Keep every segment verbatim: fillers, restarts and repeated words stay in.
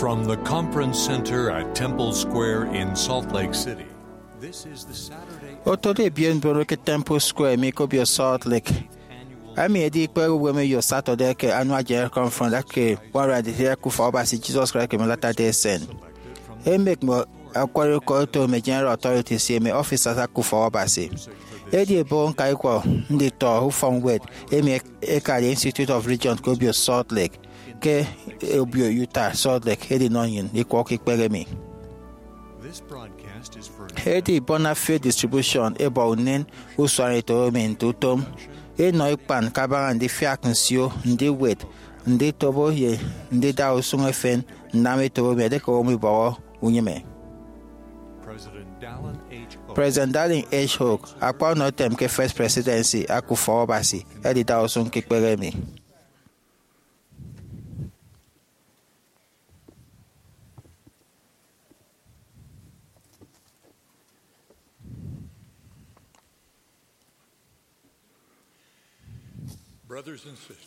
From the Conference Center at Temple Square in Salt Lake City, this is the Saturday Otode ebiet mbono ke Temple Square mi ke obio Salt Lake. Emi edi ikpehe uwemeyo Saturday ke Annual General Conference eke One Hundred Eighty-eight eke Ufọk Abasi Jesus Christ eke Latter-day Saint. Emek mme akwari uko oto mme General Authorities ye mme officers eke Ufọk Abasi. Edi ebo ñka ikwọ nditọ ufọkñwed emi ekade Institute of Religion ke obio Salt Lake, ke obio Utah Salt Lake, edinọ nnyịn ikwọ ke ikpehe emi. Edi Bona Fide Distribution ebọ unen usuanetop emi nte utom inọ ikpan kabaña ndifiak nsio, ndiwet, nditobo, ye ndida usụñ efen nnam etop emi edieke owo mibọhọ unyịme. President Dallin H. Oaks, akpa ọnọetem ke First Presidency eke Ufọk Abasi, edida usụñ ke ikpehe emi.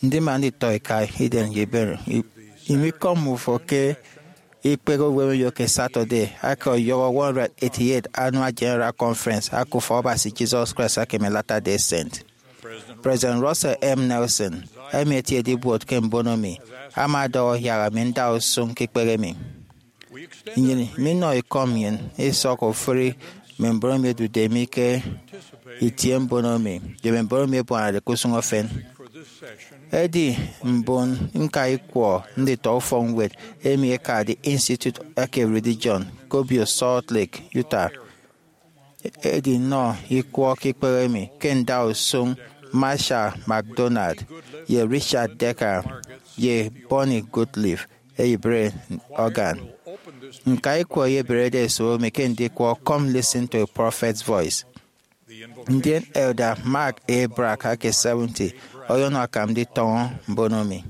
Ndi man nditọ eka idem ye ibere? Imikọm ufo ke ikpehe uwemeyo ke Saturday eke ọyọhọ One Hundred Eighty-eight Annual General Conference eke Ufọk Abasi Jesus Christ eke Latter-day Saint. President Russell M. Nelson, emi etiede ibuot ke mbono mi, ama ọdọhọ yak ami nda usụñ ke ikpehe emi. Nnyịn minọ ikọ nnyịn isọk ofụri mme mbon emi ẹdude mi ke itie mbono mi ye mme mbon emi ẹbuanade ke usụñ efen. Edi mbon ñka ikwọ nditọ ufọkñwed emi ekade Institute eke Religion ke obio Salt Lake, Utah, edinọ ikwọ ke ikpehe emi ke nda usụñ Marshall McDonald ye Richard Decker ye Bonnie Goodliffe, eyibere organ. Ñka ikwọ eyeberede esop emi ke ndikwọ Come Listen to a Prophet's Voice. Ndien Elder Mark A. Brack eke seventy ọyọnọ akam nditọñọ mbono mi.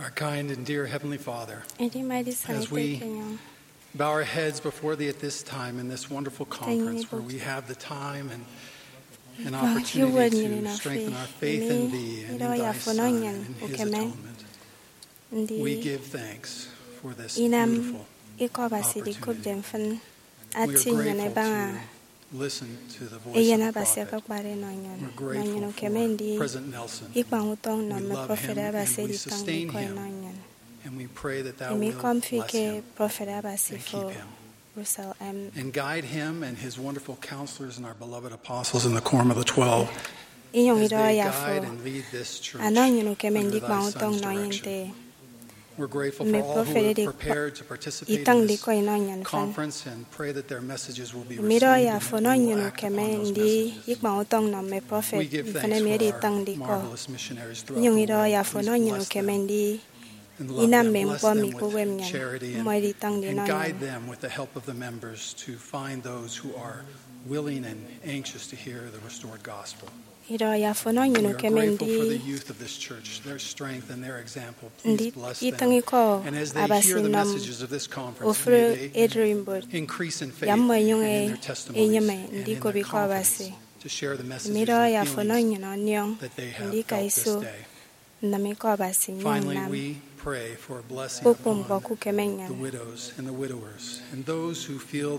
Our kind and dear Heavenly Father, Edima edisana as we ete ke enyọñ bow our heads before Thee at this time in this wonderful conference where we have the time and an opportunity to strengthen our faith in Thee and in Thy Son and His atonement. We give thanks for this beautiful opportunity. Inam ikọ Abasi dikopde mfịn ati nnyịn ẹbaña eyen Abasi ẹkekpade enọ nnyịn, nọ nnyịn ukeme ndi ikpañ utọñ nnọ mme prọfet Abasi editañde ikọ enọ nnyịn. Emi ikọm fi ke prọfet Abasi fo, Russell M. And guide him and his wonderful counselors and our beloved apostles in the Quorum of the Twelve. Inyụñ idọhọ ye afo, anọ nnyịn ukeme ndikpañ utọñ nnọ enye nte mme prọfet edi itañde ikọ inọ nnyịn mfịn. Mme idọhọ ye afo, nọ nnyịn ukeme ndi ikpañ utọñ nnọ mme prọfet mfịn emi edi itañde ikọ. Inyụñ idọhọ ye afo, nọ nnyịn ukeme ndi inam mme ñkpọ emi ke uwem nnyịn, mmọ edi itañde inọ nnyịn. Idọhọ ye afo, nọ nnyịn ukeme ndi ndi itịñ ikọ Abasi nnọ ofụri ererimbot, ya mmọ ẹnyụñ ẹnyịme ndikop ikọ Abasi. Mme idọhọ ye afo, nọ nnyịn ọniọñ ndika iso nnam ikọ Abasi, nyụñ nnam kpukpru ñkpọ ke ukeme nnyịn.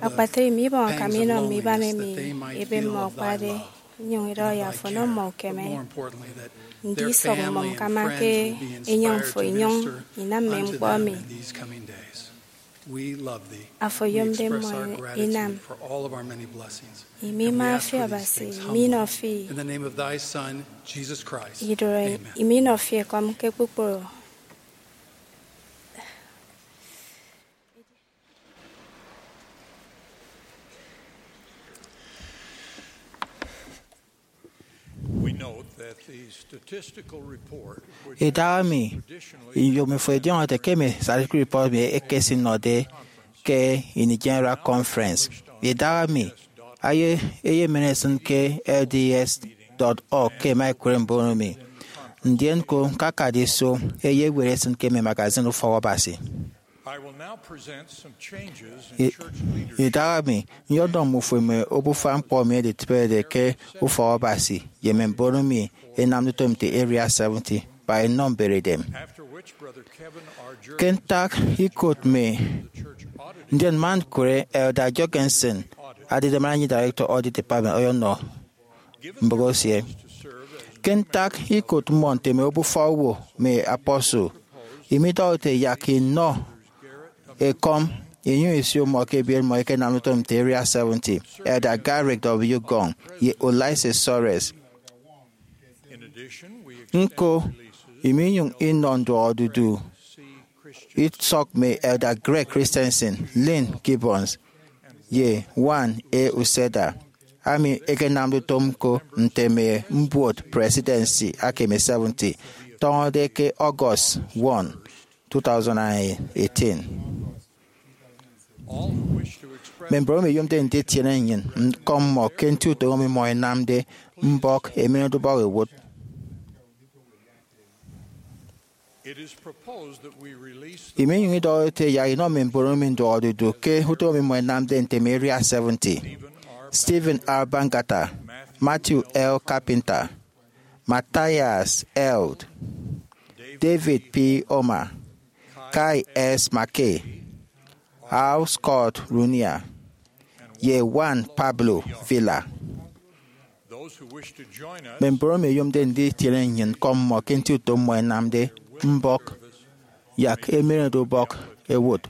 Akpatre emi ibọñ akam inọ mme iban emi ebe mmọ akpade, inyụñ idọhọ ye afo, nọ mmọ ukeme ndi isọk mmọ ñkama ke enyịñ fo, inyụñ inam mme ñkpọ emi afo oyomde mmọ inam. Imi ima fi Abasi, imi inọ fi idụre, imi inọ fi ekọm ke kpukpru. Idahaemi, iyomi fo idiọñọde ke mme statistical report emi ẹkesinọde ke ini General Conference. Idahaemi, eye eyemen esịn ke L D S dot org ke ẹma ẹkụre mbon emi. Ndien ñko ñkakade iso eye eñwed esịn ke mme magazine Ufọk Abasi. Idahaemi, nyọdọñ mmufo mme obufa ñkpọ emi ẹditịbede ke Ufọk Abasi ye mme mbon emi ẹnamde utom nte Area seventy, kpa enọ mberedem. Ke ntak ikot mi, ndien man ñkụre Elder Jorgensen, adide Managing Director Audit Department, ọyọnọ mbụk esie. Ke ntak ikot mmọ nte mme obufa owo mme apostle, imidọhọde yak inọ ekọm inyụñ isio mmọ ke ebiet mmọ ẹkenamde utom nte Area seventy, Elder Garrick W. Gong ye Ulisses Soares. Ñko, iminyụñ inọ nduọkodudu isọk mme Elder Greg Christensen, Lynn Gibbons, ye Juan A. Uceda, ami ẹkenamde utom ñko nte mme mbuot presidency aka mme seventy, tọñọde ke August one, two thousand and eighteen. Mme mbon emi ẹyomde nditiene nnyịn ñkọm mmọ ke nti utom emi mmọ ẹnamde mbọk emenedeubọk ẹwụt. Iminyụñ idọhọde ete yak inọ mme mbon emi nduọkodudu ke utom emi mmọ ẹnamde nte mme Area seventy: Stephen R. Bangerter, Matthew L. Carpenter, Matthias Held, David P. Omer, Kay S. McKay, Hal Scott Runier, ye Juan Pablo Villa. Mme mbon emi ẹyomde nditiene nnyịn ñkọm mmọ ke nti utom mmọ ẹnamde mbọk yak emenedeubọk ẹwụt.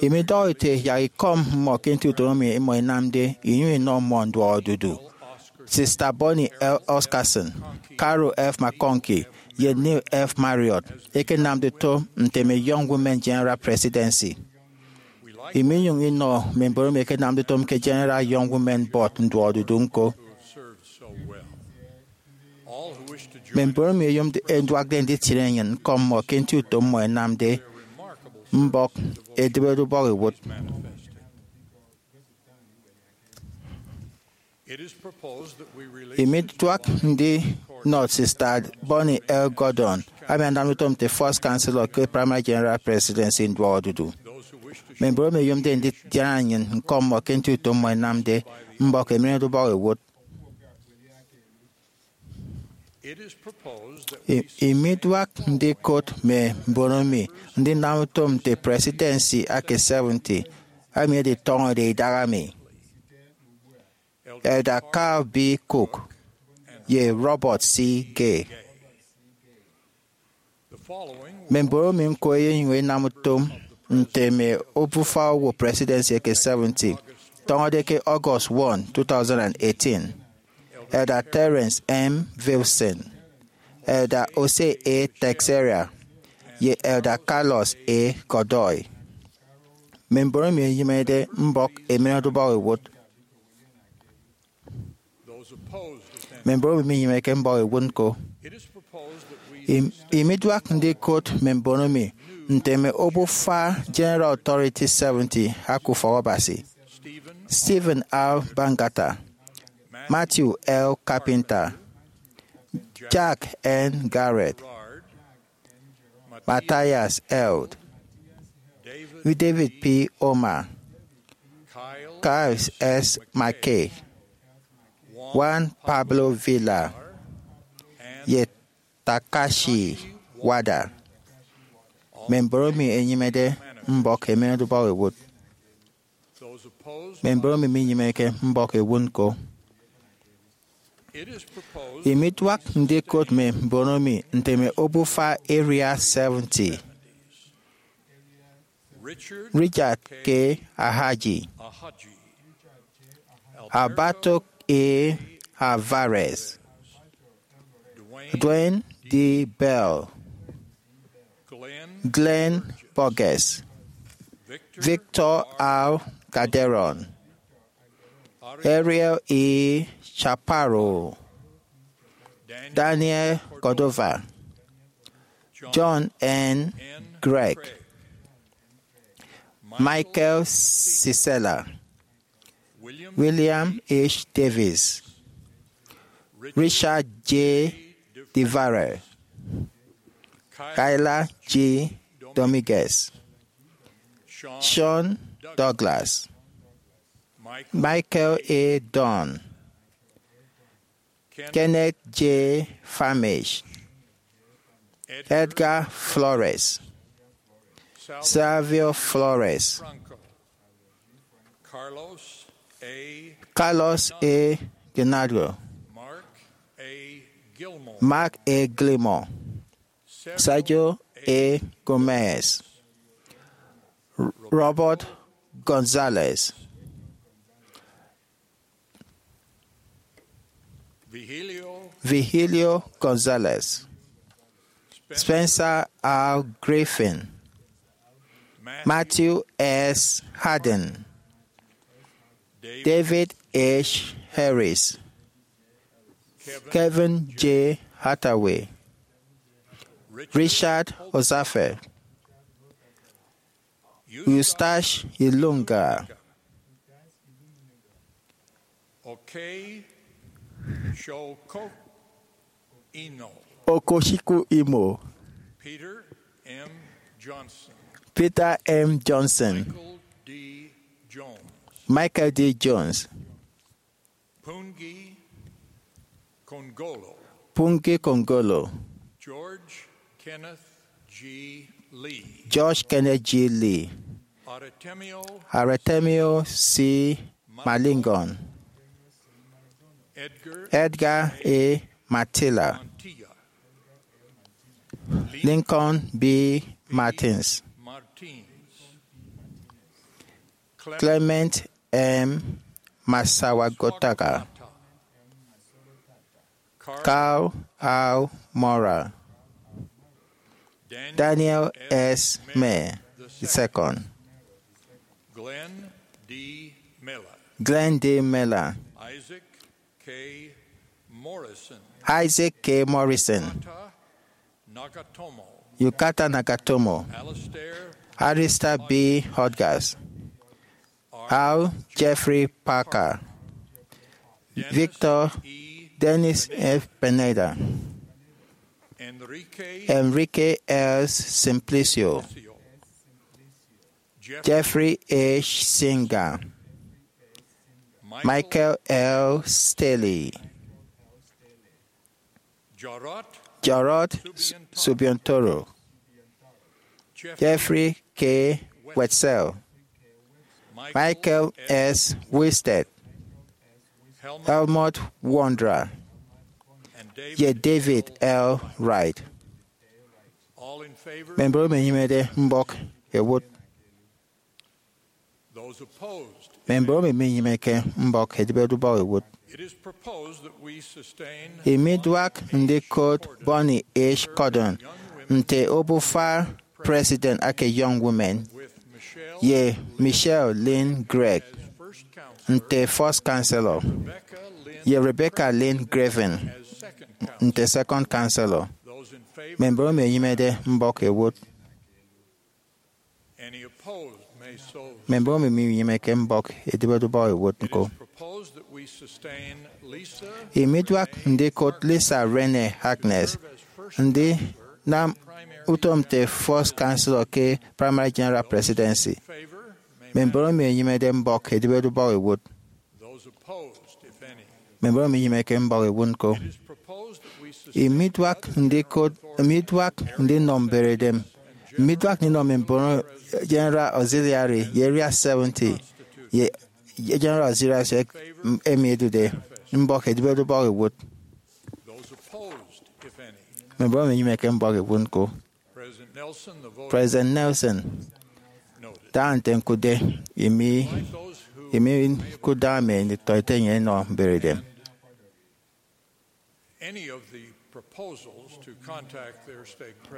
Imidọhọ ete yak ikọm mmọ ke nti utom emi mmọ ẹnamde inyụñ inọ mmọ nduọkodudu. Sister Bonnie L. Oscarson, Carol F. McConkie, ye Neil F. Marriott ẹkenamde utom nte mme Young Women General Presidency. Iminyụñ inọ mme mbon emi ẹkenamde utom ke General Young Women Board nduọkodudu ñko. Mme mbon emi ẹyomde ẹduakde nditiene nnyịn ñkọm mmọ ke nti utom mmọ ẹnamde mbọk edịbedeubọk ẹwụt. Imiduak ndi nọt Sister Bonnie L. Gordon, ami anam utom nte First Counselor ke Primary General Presidency nduọkodudu. Mme mbon emi ẹyomde ndidiana nnyịn ñkọ mmọ ke nti utom mmọ ẹnamde mbọk emineñede ubọk ẹwot. Imiduak ndikot mme mbon emi ndinam utom nte Presidency ake seventy emi editọñọde idaha mi: Elder Carl B. Cook ye Robert C. Gay. Mme mbon emi ñko ẹyenyụñ ẹnam utom nte mme obufa owo Presidency eke seventy tọñọde ke August one, two thousand and eighteen: Elder Terence M. Vilson, Elder Jose A. Teixeira, ye Elder Carlos A. Godoy. Mme mbon emi ẹnyeñede mbọk emineñede ubọk ẹwot. Mme mbon emi minyeñeke mbọk ẹwot ñko. Im- imiduak ndikot mme mbon emi nte mme obufa General Authority seventy aka Ufọkabasi: Stephen R. Bangerter, Matthew L. Carpenter, Jack N. Garrett, Matthias Eld, David P. Omer, Kyle S. McKay, Juan Pablo Villar, ye Takashi Wada. Mme mbon emi ẹnyeñede mbọk emineñede ubọk ẹwot. Mme mbon emi minyeñeke mbọk ẹwot ñko. Imiduak ndikot mme mbon emi nte mme obufa Area seventy: Richard K. Ahaji, Alberto A. Alvarez, Dwayne D. Bell, Glenn Burgess, Victor R. Calderon, Ariel E. Chaparro, Daniel Cordova, John N. Gregg, Michael Sisela, William H. Davis, Richard J. DeVarel, Kyla G. Dominguez, Sean Douglas, Michael A. Dunn, Kenneth J. Farmage, Edgar Flores, Savio Flores, Carlos A. Gennaro, Mark A. Gilmore, Sergio A. Gomez, Robert Gonzalez, Vigilio Gonzalez, Spencer R. Griffin, Matthew S. Haddon, David H. Harris, Kevin J. Hathaway, Richard Ozafe, Eustache Ilunga, Okey Shoko Ino, Okoshiku Imo, Peter M. Johnson, Peter M. Johnson, Michael D. Jones, Michael D. Jones, Pungi Kongolo, Pungi Kongolo, George Kenneth G. Lee, George Kenneth G. Lee, Artemio Artemio C. Malingon, Edgar Edgar A. Matilla, Montilla, Lincoln B. Martins, Martins, Clement M. Masawagotaka, Carl R. Mora, Daniel S. May the second, Glenn D. Miller, Glenn D. Miller, Isaac K. Morrison, Isaac K. Morrison, Kata Nagatomo, Yukata Nagatomo, Alistair Alistair B. Hodges, R. Jeffrey Parker, Victor Dennis F. Pineda, Enrique S. Simplicio, Jeffrey H. Singer, Michael L. Staley, Jarrod Subiantoro, Jeffrey K. Wetzel, Michael S. Wilstead, Helmut Wondra, ye David L. Wright. Mme mbon emi enyịmede mbọk ẹwụt. Mme mbon emi minyịmeke mbọk ẹdịbede ubọk ẹwụt. Imiduak ndikot Bonnie H. Cordon nte obufa President ake Young Women, ye Michelle Lynn Gregg nte First Counselor, ye Rebecca Lynn Graven nte Second Counselor. Mme mbon emi enyịmede mbọk ẹwụt. Mme mbon emi minyịmeke mbọk ẹdịbede ubọk ẹwụt ñko. Imiduak ndikot Lisa Renee Harkness ndinam utom nte First Counselor ke Primary General Presidency. Mme mbon emi enyịmede mbọk ẹdịbede ubọk ẹwụt. Mme mbon emi minyịmeke mbọk ẹwụt ñko. Imiduak ndikot, imiduak ndinọ mberedem. Imiduak ndinọ mme mbon General Auxiliary ye Area seventy ye General Auxiliary emi ẹdude mbọk ẹdịbede ubọk ẹwụt. Mme mbon emi minyịmeke mbọk ẹwụt ñko. President Nelson, da nte ñkụtde, imi, imi ñkụtde mme nditọete nnyịn ẹnọ mberedem.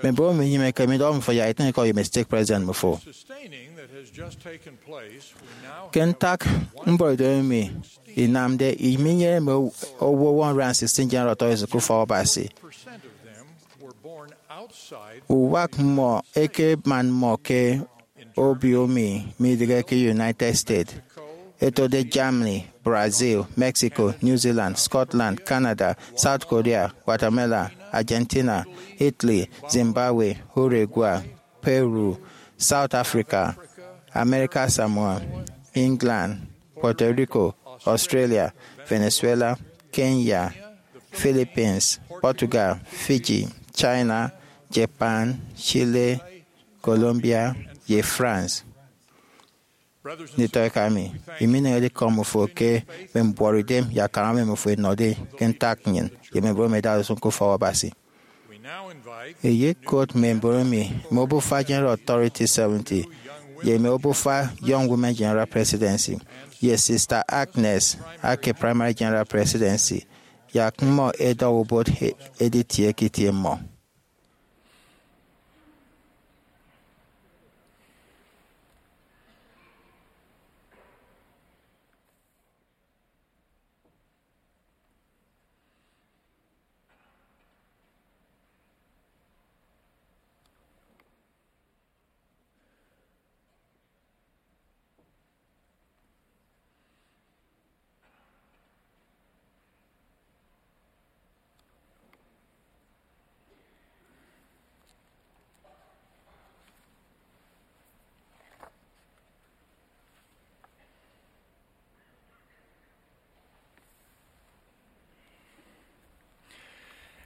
Mme mbon emi minyịmeke midọhọ mmọ yak itịñ ikọ ye mme stake president mmọ fo. Ke ntak mboridem emi inamde, iminyene mme owo one hundred sixteen General Authorities ke ufọk Abasi. Uwak mmọ eke man mmọ ke obio emi midịghe ke United States, ẹtode Germany, Brazil, Mexico, New Zealand, Scotland, Canada, South Korea, Guatemala, Argentina, Italy, Zimbabwe, Uruguay, Peru, South Africa, America Samoa, England, Puerto Rico, Australia, Venezuela, Kenya, Philippines, Portugal, Fiji, China, Japan, Chile, Colombia, ye France. Nditọ eka mi, imi ineñede ikọ mmọ fo ke mme mbuọtidem ye akama emi mmọ fo ẹnọde ke ntak nnyịn ye mme mbon emi ẹdade usụñ ke ufọk Abasi. Eyekot mme mbon emi mme obufa General Authority seventy ye mme obufa Young Women General Presidency ye Sister Agnes ake Primary General Presidency, yak mmọ ẹdọhọ ubot e- editie ke itie mmọ.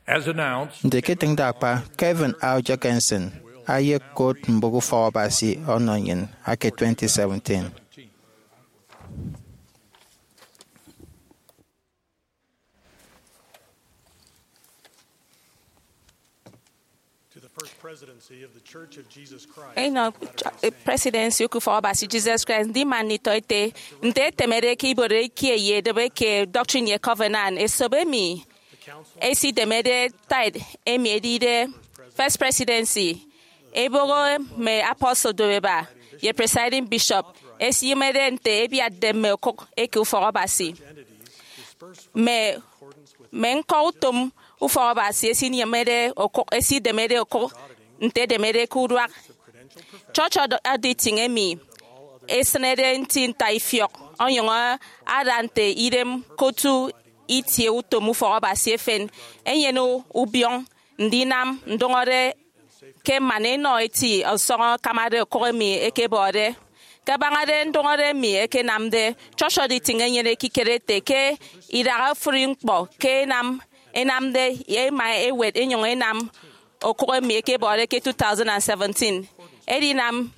As announced, nte ke itịñde akpa, Kevin R. Jorgensen ayekot mbụk ufọk Abasi ọnọ nnyịn ake twenty seventeen. To the First Presidency of the Church of Jesus Christ. Enọ Presidency Ukufọkabasi Jesus Christ, ndi man nditọete nte etemede ke ibuot ikie ye edịbe ke Doctrine ye Covenant, esop emi esidemede tithe emi edide First Presidency, eboho mme apostle dubeba ye presiding bishop, esiyịmede nte ebiatde mme okụk eke ufọk Abasi. Mme, mme ñkọ utom ufọk Abasi esinyịmede okụk, esidemede okụk nte edemede ke uduak. Church aud-, auditing emi esịnede nti ntaifiọk onyụñ ada nte idem ke otu itie utom ufọk Abasi efen, enyene ubiọñ ndinam ndụñọde ke man enọ eti ọsọñọ akamade okụk emi ẹkebọde. Kabañade ndụñọde emi ẹkenamde, Church Auditing enyene ekikere ete ke idaha ofụri ñkpọ ke ẹnam, ẹnamde, ẹma ẹwet ẹnyụñ ẹnam okụk emi ẹkebọde ke two thousand and seventeen. Edinam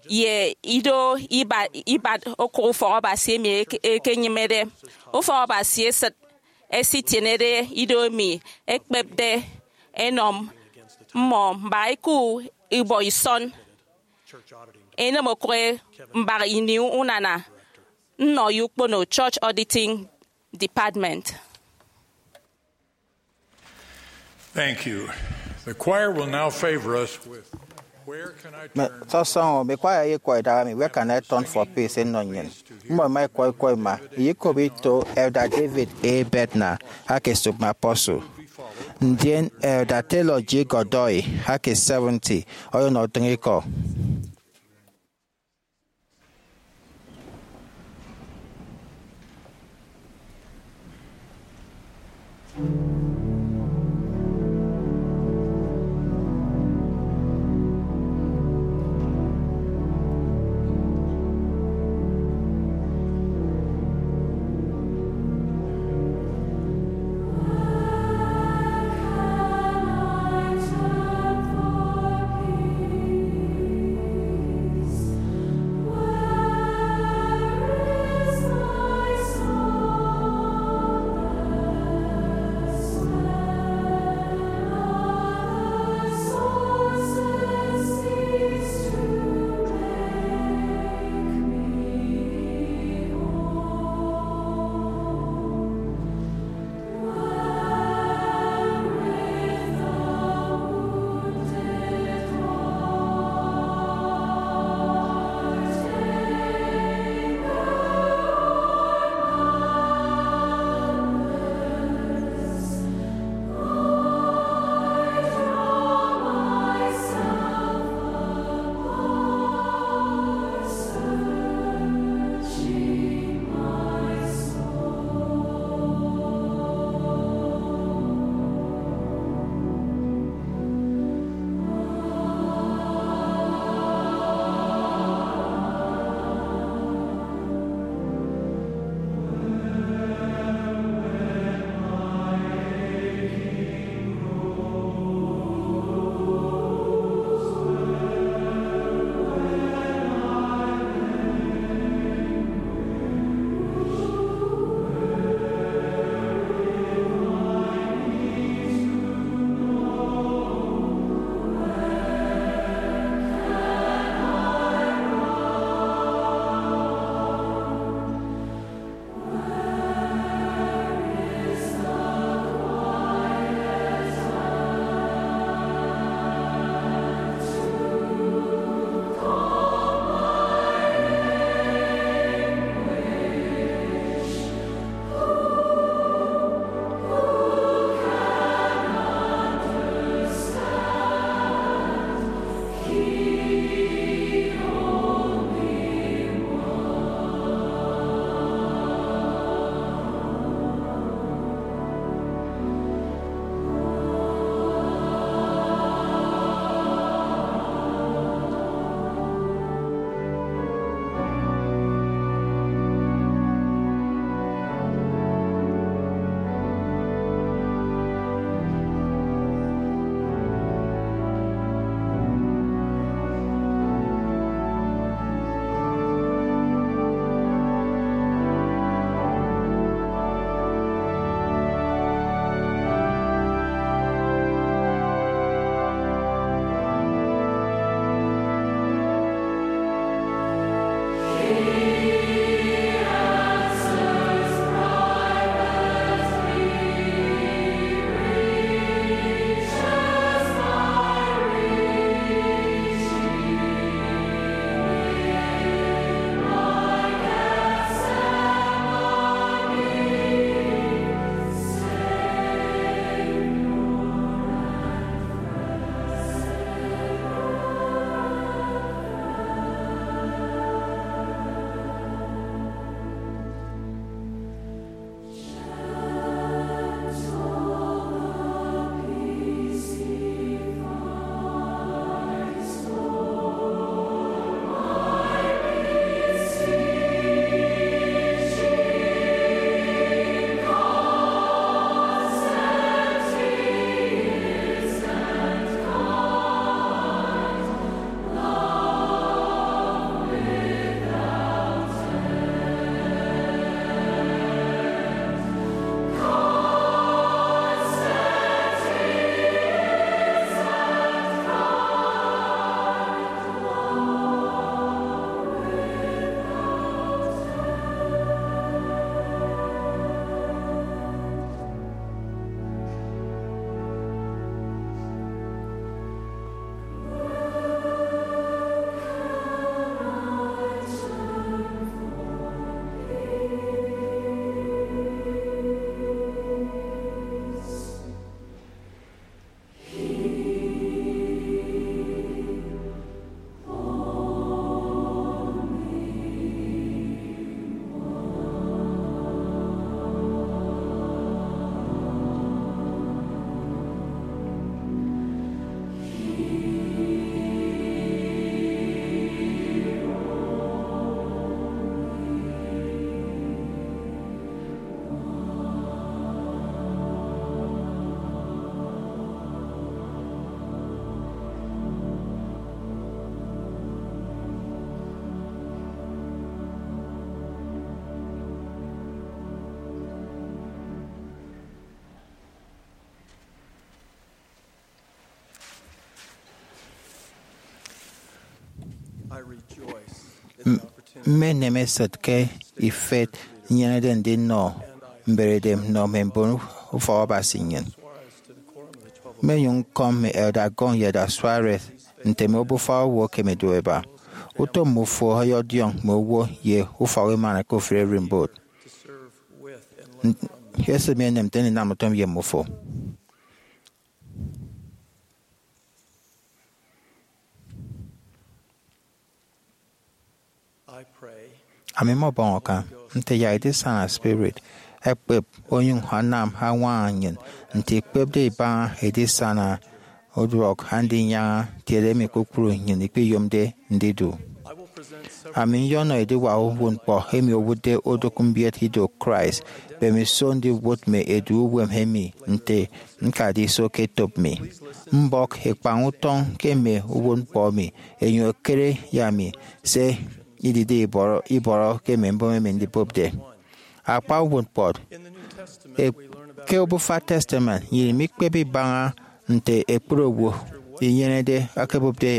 ye ido iba-, ibat okụk ufọk Abasi emi eke-, ekenyịmede ufọk Abasi esịt, ẹsitienede ido emi ẹkpepde ẹnọ mmọ mbaña iku ibọ isọn, enịm okụk mbak ini unana nnọ ye ukpono Church Auditing Department. Thank you. The choir will now favor us with Where Can I Turn? Tọsọñọ, mme kwaya ẹyekwọ idaha mi, Where Can I Turn for Peace? Ẹnọ nnyịn. Mmọ ẹma ẹkwọ ikwọ ima, ẹyekop ito Elder David A. Bednar aka esop mme apostle, ndien Elder Taylor G. Godoy aka seventy oyonyụñ otịñ ikọ. M- mmenem esịt ke ifet nnyenede ndinọ mberede nnọ mme mbon ufọk Abasi nnyịn. Mmenyụñ ñkọm mme Elder Gong ye Elder Suarez nte mme obufa owo ẹkeme ẹdu ẹba. Utom mmọ ufo ọyọdiọñ mme owo ye ufọk emana ke ofụri ererimbot. Esịt mi enem nte ndinam utom ye mmọ ufo. Ami mmọbọñ akam nte yak edisana spirit ẹkpep onyụñ anam añwaña nnyịn nte ikpepde ibaña edisana uduak Andinyaña, tiede emi kpukpru nnyịn ikpiyomde ndidu. Ami nyọnọ ediwak uwụtñkpọ emi owụtde odụk mbiet ido Christ, mbemiso ndiwụt mme edu uwem emi nte ñkade iso ke etop mi. Mbọk ikpañ utọñ ke mme uwụtñkpọ emi, enyụñ ekere ye ami se idide ibọrọ, ibọrọ ke mme mbon emi ndibụpde. Akpa uwụtñkpọ, e- ke Obufa Testament, nnyịn mikpep ibaña nte ekpri owo inyenede akebụpde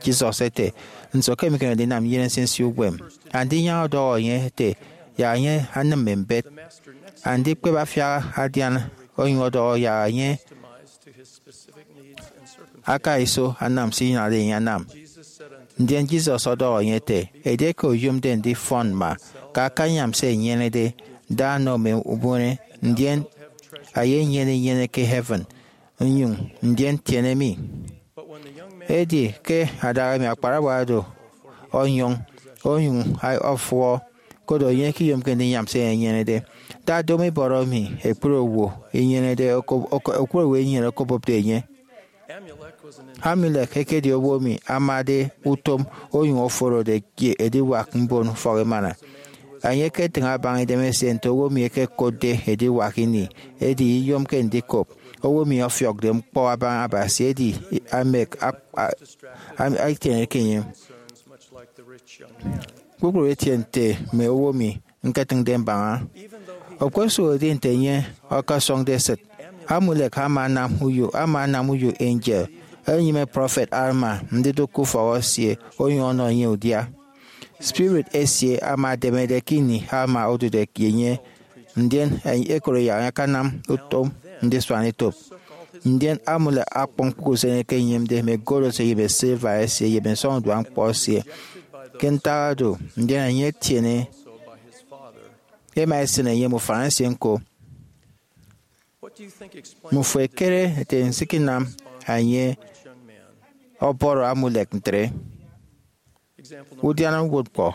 Jesus ete, "Nso ke mikemede ndinam nnyene nsinsi uwem?" Andinyaña ọdọhọ enye ete, "Yak enye anịm mme mbet." Andikpep afiak adian onyụñ ọdọhọ yak enye aka iso anam se iyenade enye anam. Ndien Jesus ọdọhọ enye ete, "Edieke oyomde ndifọn mma, ka akanyam se enyenede, da nọ mme ubụne, ndien eyenyene inyene ke heaven, nyụñ ndien tiene mi." Edi ke adaha emi akparawa do onyụñ, onyụñ ọfụhọ, koro enye ikiyomke ndinyam se enyenede. Da domo ibọrọ emi ekpri owo inyenede oko-, oko-, ekpri owo inyenede okobụpde enye. Amulek ekedi owo emi amade utom onyụñ oforode ye ediwak mbon ufọk emana. Enye eketịñ abaña idemesie nte owo emi ẹkekotde ediwak ini, edi iyomke ndikop owo emi ọfiọkde ñkpọ abaña Abasi, edi amek ap-, a-, am-, atieneke enye. Kpukpru etie nte mme owo emi ñketịñde mbaña. Okposụkedi nte enye ọkọsọñde esịt, Amulek ama anam uyo, ama anam uyo angel enyịme prọfet Alma ndidụk ke ufọk esie onyụñ ọnọ enye udia. Spirit esie ama ademede ke ini Alma odude ye enye, ndien ekoro yak akanam utom ndisuan etop. Ndien Amulek akpọñ kpukpru se enye ekeyomde, mme gold esie ye mme silver esie ye mme nsọñuduak ñkpọ esie. Ke ntak oro, ndien enye etiene, ema esịn enye mme ufan esie ñko. Mmufo ẹkere ete nsikinam enye ọbọrọ Amulek ntre? Udiana uwụtñkpọ.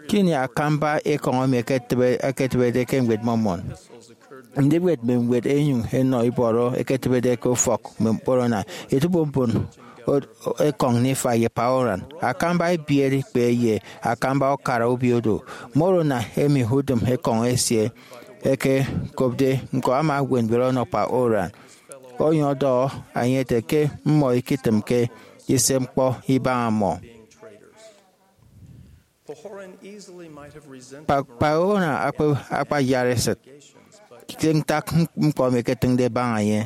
Ke ini akamba ekọñ emi eketịbe-, eketịbede ke Ñwed Mormon, ndiwet mme ñwed ẹnyụñ ẹnọ ibọrọ eketịbede ke ufọk mme Moroni, etubom mbon o-, ekọñ Nifai ye Paran. Akamba ebiere ikpe ye akamba ukara obio do. Moroni emi udịm ekọñ esie ẹkekopde ñko ama eñwen ñwed ọnọ Paran, onyụñ ọdọhọ enye ete ke mmọ ikitịmke ise ñkpọ ibaña mmọ. Pa-, Paran akpa-, akpayara esịt ke ntak ñkpọ emi eketịñde ẹbaña enye.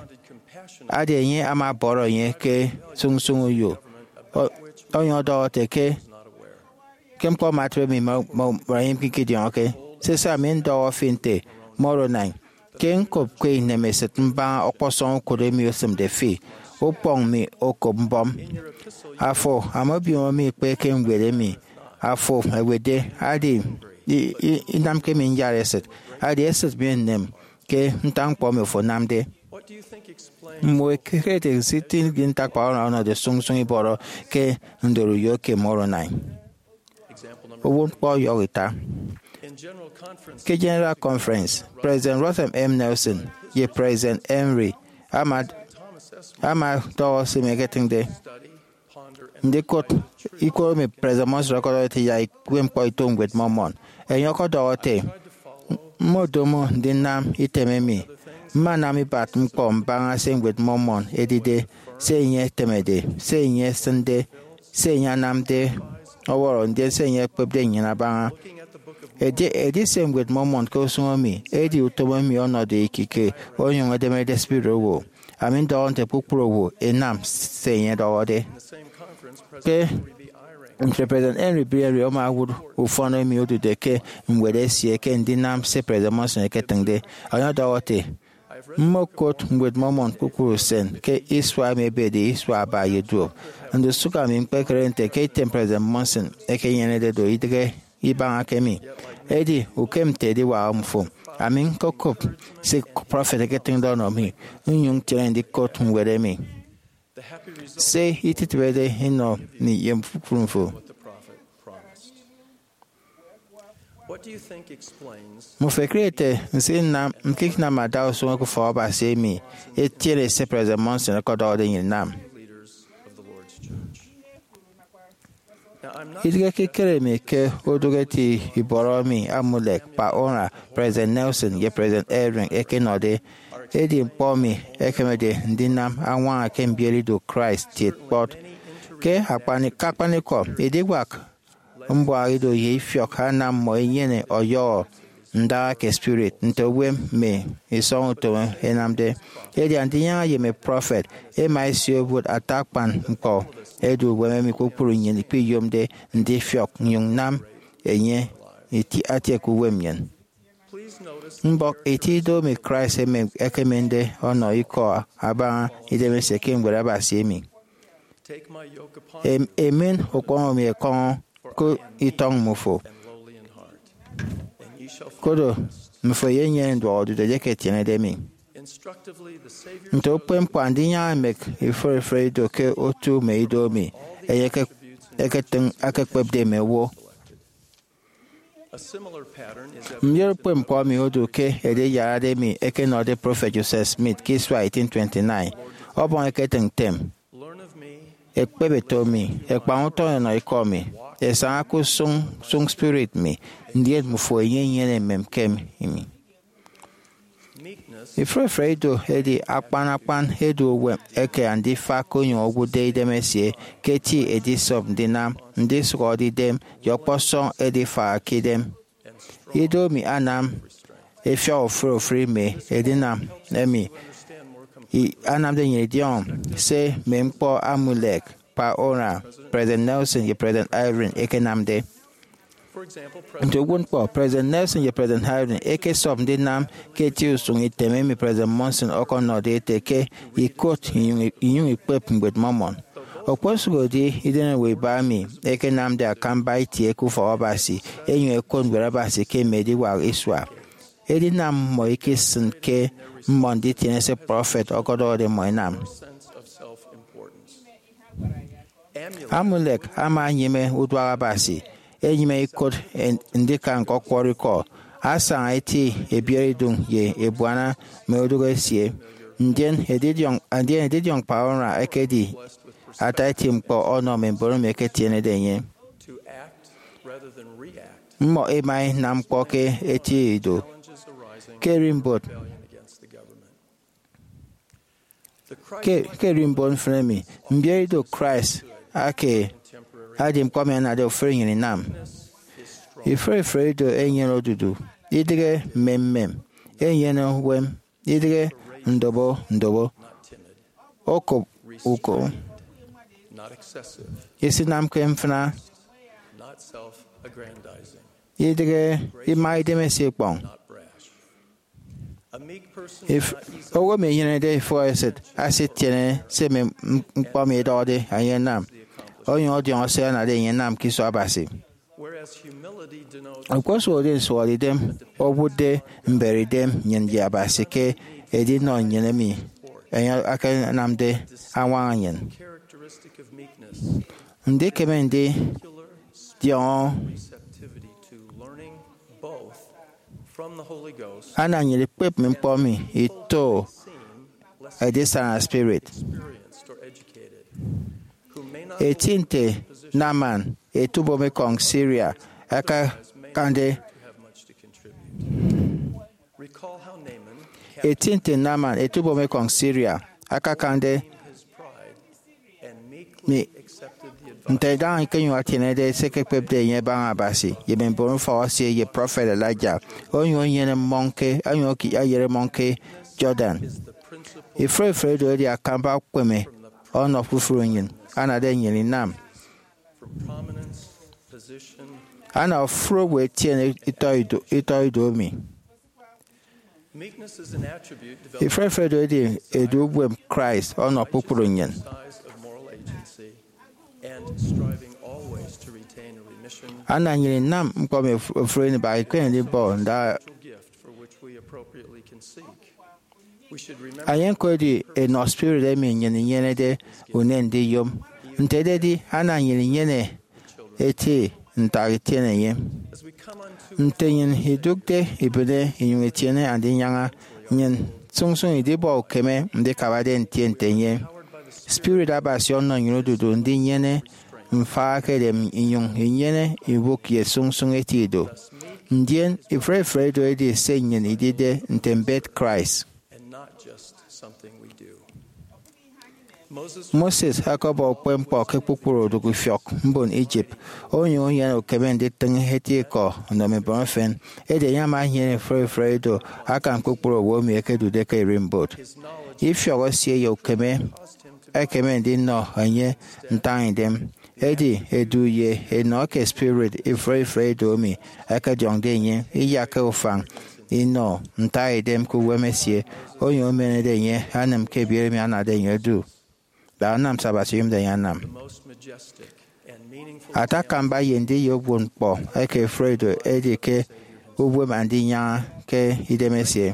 Adi enye ama ọbọrọ enye ke sụñsụñ uyo, o-, onyụñ ọdọhọ ete ke, ke ñkpọ ama atịbe mi, mmọ, mmọ, mmọ ẹyomke ikidiọñọke. Sese, ami ndọhọ fi nte Moroni, ke ñkopke inemesịt mbaña ọkpọsọñ ukot emi osịmde fi, ukpọñ mi okop mbọm. Afo ama obiomo mi ikpe ke ñwed emi afo ewetde, adi i-, i-, inamke mi nyara esịt, adi esịt mi enem ke ntak ñkpọ emi afo anamde. Mmọ ẹkere ete nsitinke ntak Paran ọnọde sụñsụñ ibọrọ ke ndorou uyo ke Moroni. Uwụtñkpọ ọyọhọ ita. Ke General Conference, President Russell M. Nelson ye President Henry ama, ama ọdọhọ se mi eketịñde. Ndikụt ikọ emi President Monson ọkọdọhọde ete yak ikpe ñkpọ ito Ñwed Mormon. Enye ọkọdọhọ ete, "Mmodomo ndinam item emi. Mmanam ibat ñkpọ mbaña se Ñwed Mormon edide, se enye etemede, se enye esịnde, se enye anamde ọwọrọ, ndien se enye ekpepde nnyịn abaña." Edi, edi se Ñwed Mormon ke usụñ emi, edi utom emi ọnọde ekike, onyụñ edemede spirit owo. Ami ndọhọ nte kpukpru owo ẹnam se enye ọdọhọde. Ke ntre President Henry B. Eyring ama owụt ufọn emi odude ke ñwed esie ke ndinam se President Monson eketịñde. Enye ọdọhọ ete, Mmokot Ñwed Mormon kpukpru usen ke isua emi ebede isua aba ye duop. Ndusụk ami ñkpekere nte ke item President Monson ekenyenede do idịghe ibaña kemi. Edi ukem nte ediwak mmfo, ami ñkokop se prọfet eketịñde ọnọ mi, nnyụñ ntiene ndikot ñwed emi. Se itịtrede inọ mi ye kpukpru mmfo. Mmufo ẹkere ete nsinam ñkiknam adausụñ ke ufọk Abasi emi etiene se President Monson ọkọdọhọde nnyịn inam? Idịghe ekikere mi ke odụk eti ibọrọ emi Amulek, Pa Ora, President Nelson, ye President Eyring ẹkenọde. Edi ñkpọ emi ẹkemede ndinam añwaña ke mbiere ido Christ kiet kpọt. Ke akpani-, ke akpanikọ, ediwak mbuaha ido ye ifiọk anam mmọ ẹnyene ọyọhọ ndaha ke spirit, nte uwem mme isọñ utom ẹnamde. Edi Andinyaña ye mme prọfet ẹma ẹsio ẹwụt ata akpan ñkpọ ẹdu uwem emi kpukpru nnyịn ikpiyomde ndifiọk nnyụñ nnam enye iti-, atie ke uwem nnyịn. Mbọk eti ido emi Christ emem-, ekemende ọnọ ikọ abaña idemesie ke Ñwed Abasi emi. Em-, emen ukpọñ emi ẹkọñọ ke itọñ mmufo, koro mmufo ẹyenyene nduọk odudu edieke ẹtienede mi. Nte ukpepñkpọ Andinyaña emek ifụre ifụre ido ke otu mme ido emi enye eke-, eketịñ akekpepde mme owo. Mbiet ukpepñkpọ emi odu ke ediyarade emi ẹkenọde Prọfet Joseph Smith ke isua eighteen twenty-nine. Ọbọñ eketịñ ntem, ekpep eto mi, ẹkpañ utọñ ẹnọ ikọ mi, ẹsaña ke usụñ, usụñ spirit mi, ndien mmufo ẹnyenyene emem ke mi. Ifụre ifụre ido edi akpan akpan edu uwem eke andifak onyụñ owụtde idemesie ke eti edisop ndinam ndisụhọde idem ye ọkpọsọñ edifaha ke idem. Ido emi anam efiọk ofụri ofụri mme edinam emi i-, anamde nnyịn idiọñọ se mme ñkpọ Amulek, Pa Ora, President Nelson, ye President Eyring ẹkenamde. Nte uwụtñkpọ, President Nelson ye President Eyring ẹkesọp ndinam ke eti usụñ item emi President Monson ọkọnọde ete ke ikot inyụñ, inyụñ ikpep Ñwed Mormon. Okposụkedi idem owo iba emi ẹkenamde akamba itie ke ufọk Abasi ẹnyụñ ẹkot Ñwed Abasi ke mme ediwak isua, edinam mmọ ikisịn ke mmọ nditiene se prọfet ọkọdọhọde mmọ inam. Amulek ama enyịme uduak Abasi, enyịme ikot en-, ndika ñkọkwọrọ ikọ, asaña eti ebiereidụñ ye ebuana mme odụk esie. Ndien edidiọñ, ndien edidiọñ Pa Ora ekedi ata eti ñkpọ ọnọ mme mbon emi ẹketienede enye. Mmọ ẹma ẹnam ñkpọ ke eti ido. Ke erimbot, ke, ke erimbot mfịn emi, mbiere ido Christ ake edi ñkpọ emi anade ofụri nnyịn inam. Ifụre ifụre ido ẹnyene odudu, idịghe mmemmem, ẹnyene uwem, idịghe ndobo ndobo, okop uko, isinamke mfịna, idịghe ima idemesie ikpọñ. If owo emi enyenede ifụhọ esịt asitiene se mme m-, ñkpọ emi ẹdọhọde enye ẹnam, onyụñ ọdiọñọ se anade enye ẹnam ke iso Abasi. Okposụkedi nsụhọdeidem owụtde mbereidem nnyịn ye Abasi ke edinọ nnyịn emi enye akanamde añwaña nnyịn. Ndikeme ndidiọñọ anam nnyịn ikpep mme ñkpọ emi ito edisana spirit. Eti nte Naaman ete ubomekọñ Syria akakande. Eti nte Naaman ete ubomekọñ Syria akakande mi, nte idaha ñkenyụñ atienede se ẹkekpepde enye ẹbaña Abasi ye mme mbon ufọk esie ye prọfet Elijah, onyụñ enyene mmọñ ke, onyụñ eyere mmọñ ke Jordan. Ifụre ifụre ido edi akamba ukpeme ọnọ kpukpru nnyịn. anade nnyịn inam. Ana ofụri owo etiene itọ ido, itọ ido emi. Ifrefre edo edi edu uwem Christ ọnọ kpukpru nnyịn. Ana nnyịn inam ñkpọ emi ofụri ini baak ikpehe ndibọ nda. Enye ñko edi enọ spirit emi nnyịn inyenede unen ndiyom. Nte ededi, ana nnyịn inyene eti ntak itiene enye. Nte nnyịn idụkde ibịne inyụñ itiene Andinyaña, nnyịn sụñsụñ idibọ ukeme ndikabade ntie nte enye. Spirit Abasi ọnọ nnyịn odudu ndinyene mfaña ke edem inyụñ inyene ibụk ye sụñsụñ eti ido. Ndien ifrefre edo edi se nnyịn idide nte mbet Christ. Moses ọkọbọ ukpepñkpọ ke kpukpru odụk ifiọk mbon Egypt, onyụñ enyene ukeme nditịñ eti ikọ nnọ mme mbon efen. Edi enye ama enyene ifrefre edo akan kpukpru owo emi ẹkedude ke ererimbot. Ifiọk esie ye ukeme ẹkeme ndinọ enye ntañidem. Edi edu ye enọ eke spirit ifrefre edo emi ẹkediọñde enye iyakke ufañ inọ ntañidem ke uwem esie, onyụñ emenede enye anịm ke ebiet emi anade enye odu, da anam se Abasi oyomde enye anam. Ata akamba ye ndiyọ uwụtñkpọ eke ifrefre edo edi ke uwem Andinyaña ke idemesie.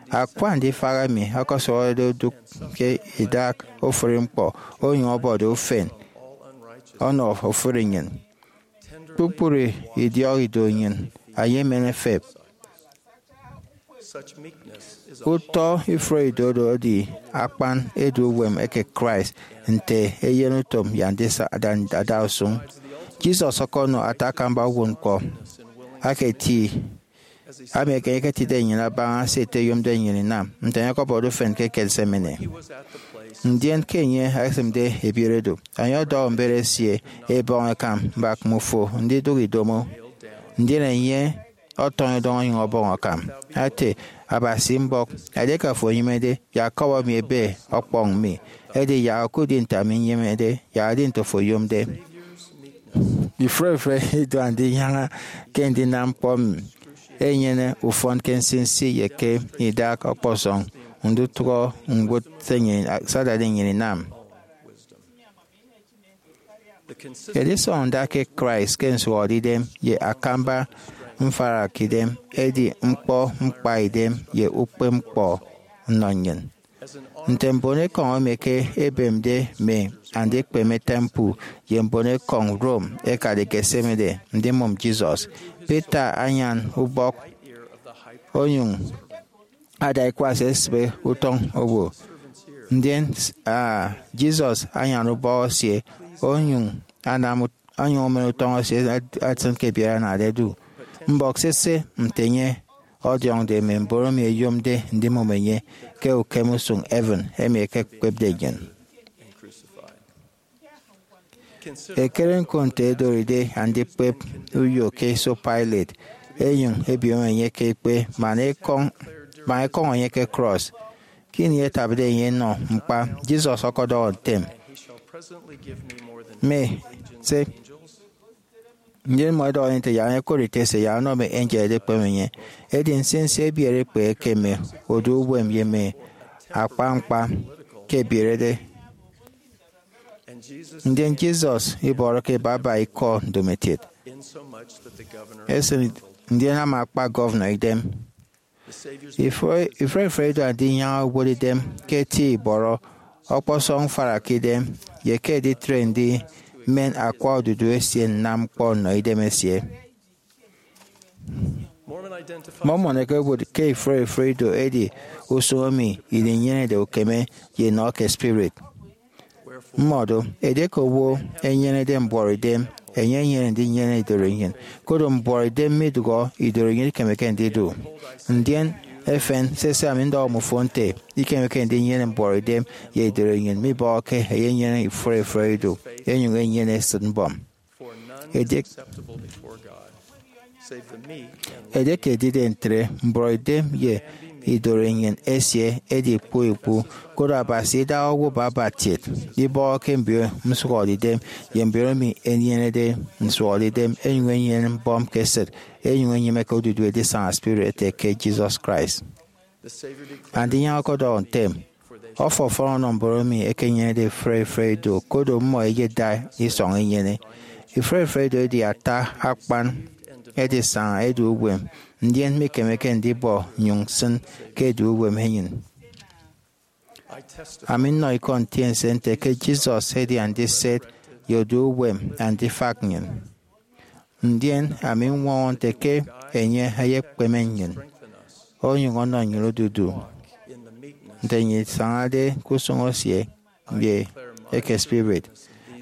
Akwa ndifaha emi ọkọsọhọde odụk ke idak ofụri ñkpọ, onyụñ ọbọde ufen ọnọ ofụri nnyịn. Kpukpru idiọk ido nnyịn ẹyemen ẹfep. Utọ ifrefre edo edi akpan edu uwem eke Christ nte eyenutom ye andisa-, ada-, adausụñ. Jesus ọkọnọ ata akamba uwụtñkpọ aka eti, ami eke enye eketide nnyịn abaña se ete oyomde nnyịn inam, nte enye ọkọbọde ufen ke Gethsemane. Ndien ke enye ekesịmde ebiet edo, enye ọdọhọ mbet esie ebọñ ẹkan mbak mmufo ndidụk idomo. Ndien enye ọtọñọ idọñ onyụñ ọbọñ akam, ete, Abasi mbọk, edieke afo enyịmede, yak kọbọ mi ebe ọkpọñ mi, edi yak okudi nte ami nyemede, yak edi nte afo oyomde. Ifrefre ido Andinyaña ke ndinam ñkpọ emi enyene ufọn ke nsinsi ye ke idak ọkpọsọñ ndutụhọ ñwụt se nnyịn, se adade nnyịn inam. Edisọñọ nda ke Christ ke nsụhọdeidem ye akamba mfarakidem edi ñkpọ ñkpaidem ye ukpepñkpọ nnọ nnyịn. Nte mbonekọñ emi ke ebemde mme andikpeme temple ye mbonekọñ Rome ẹkade Gethsemane ndimụm Jesus, Peter anyan ubọk onyụñ ada ikwas esịbe utọñ owo. Ndien, ah, Jesus anyan ubọk esie onyụñ anam ut-, onyụñ omen utọñ esie at-, atịn ke ebiet anade odu. Mbọk sese nte enye ọdiọñde mme mbon emi ẹyomde ndimụm enye ke ukem usụñ heaven emi ẹkekpepde nnyịn. Ekere ñko nte edoride andikpep uyo ke iso Pilate, ẹnyụñ ẹbiom enye ke ikpe, man ẹkọñ, man ẹkọñọ enye ke krọs. Ke ini ẹtabde enye ẹnọ ñkpa, Jesus ọkọdọhọ ntem, mme se, ndien mmọ ẹdọhọ enye nte, yak enye ẹkot ete se, yak ọnọ mme angel ẹdikpeme enye. Edi nsinsi ebiere ikpe eke mme odu uwem ye mme akpa ñkpa ke ẹbierede. Ndien Jesus ibọrọke baba ikọ ndomokiet. Esịn, ndien ama akpa gọvanọ idem. Ifre-, ifrefre ido Andinyaña uwot idem ke eti ibọrọ, ọkpọsọñ mfarakidem, ye ke editre ndimen akwa odudu esie nnam ñkpọ nnọ idemesie. Mormon ekewot ke ifrefre ido edi usụñ emi idinyenede ukeme ye enọ eke spirit. Mmọdo, edieke owo enyenede mbuọtidem, enye enyene ndinyene idorenyin, koro mbuọtidem midụhọ idorenyin ikemeke ndidu. Ndien efen, sese, ami ndọhọ mmufo nte, ikemeke ndinyene mbuọtidem ye idorenyin mibọhọke eyenyene ifrefre ido, enyuñ enyene esịt mbọm. Ediek-, edieke edide ntre, mbuọtidem ye Idori nnyịn esie edi ikpu ikpu, koro Abasi idaha owụt baba kiet, ibọhọke mbio nsụhọdeidem ye mbio emi ẹnyenede nsụhọdeidem, ẹnyụñ ẹnyene mbọm ke esịt, ẹnyụñ ẹnyịmeke odudu edisaña spirit ete ke Jesus Christ. Andinyaña ọkọdọhọ ntem, Ọfọfọn ọnọ mbon emi ẹkenyenede ifre ifre ido, koro mmọ ẹyeda isọñ inyene. Ifre ifre ido edi ata akpan edisaña edu uwem, ndien mikemeke ndibọ nnyụñ nsịn ke edu uwem enyịn. Ami nnọ ikọ ntiense nte ke Jesus edi andiset ye odu uwem andifak nnyịn. Ndien ami ñwọñọ nte ke enye eyekpeme nnyịn, onyụñ ọnọ nnyịn odudu, nte nnyịn isañade ke usụñ esie ye eke spirit.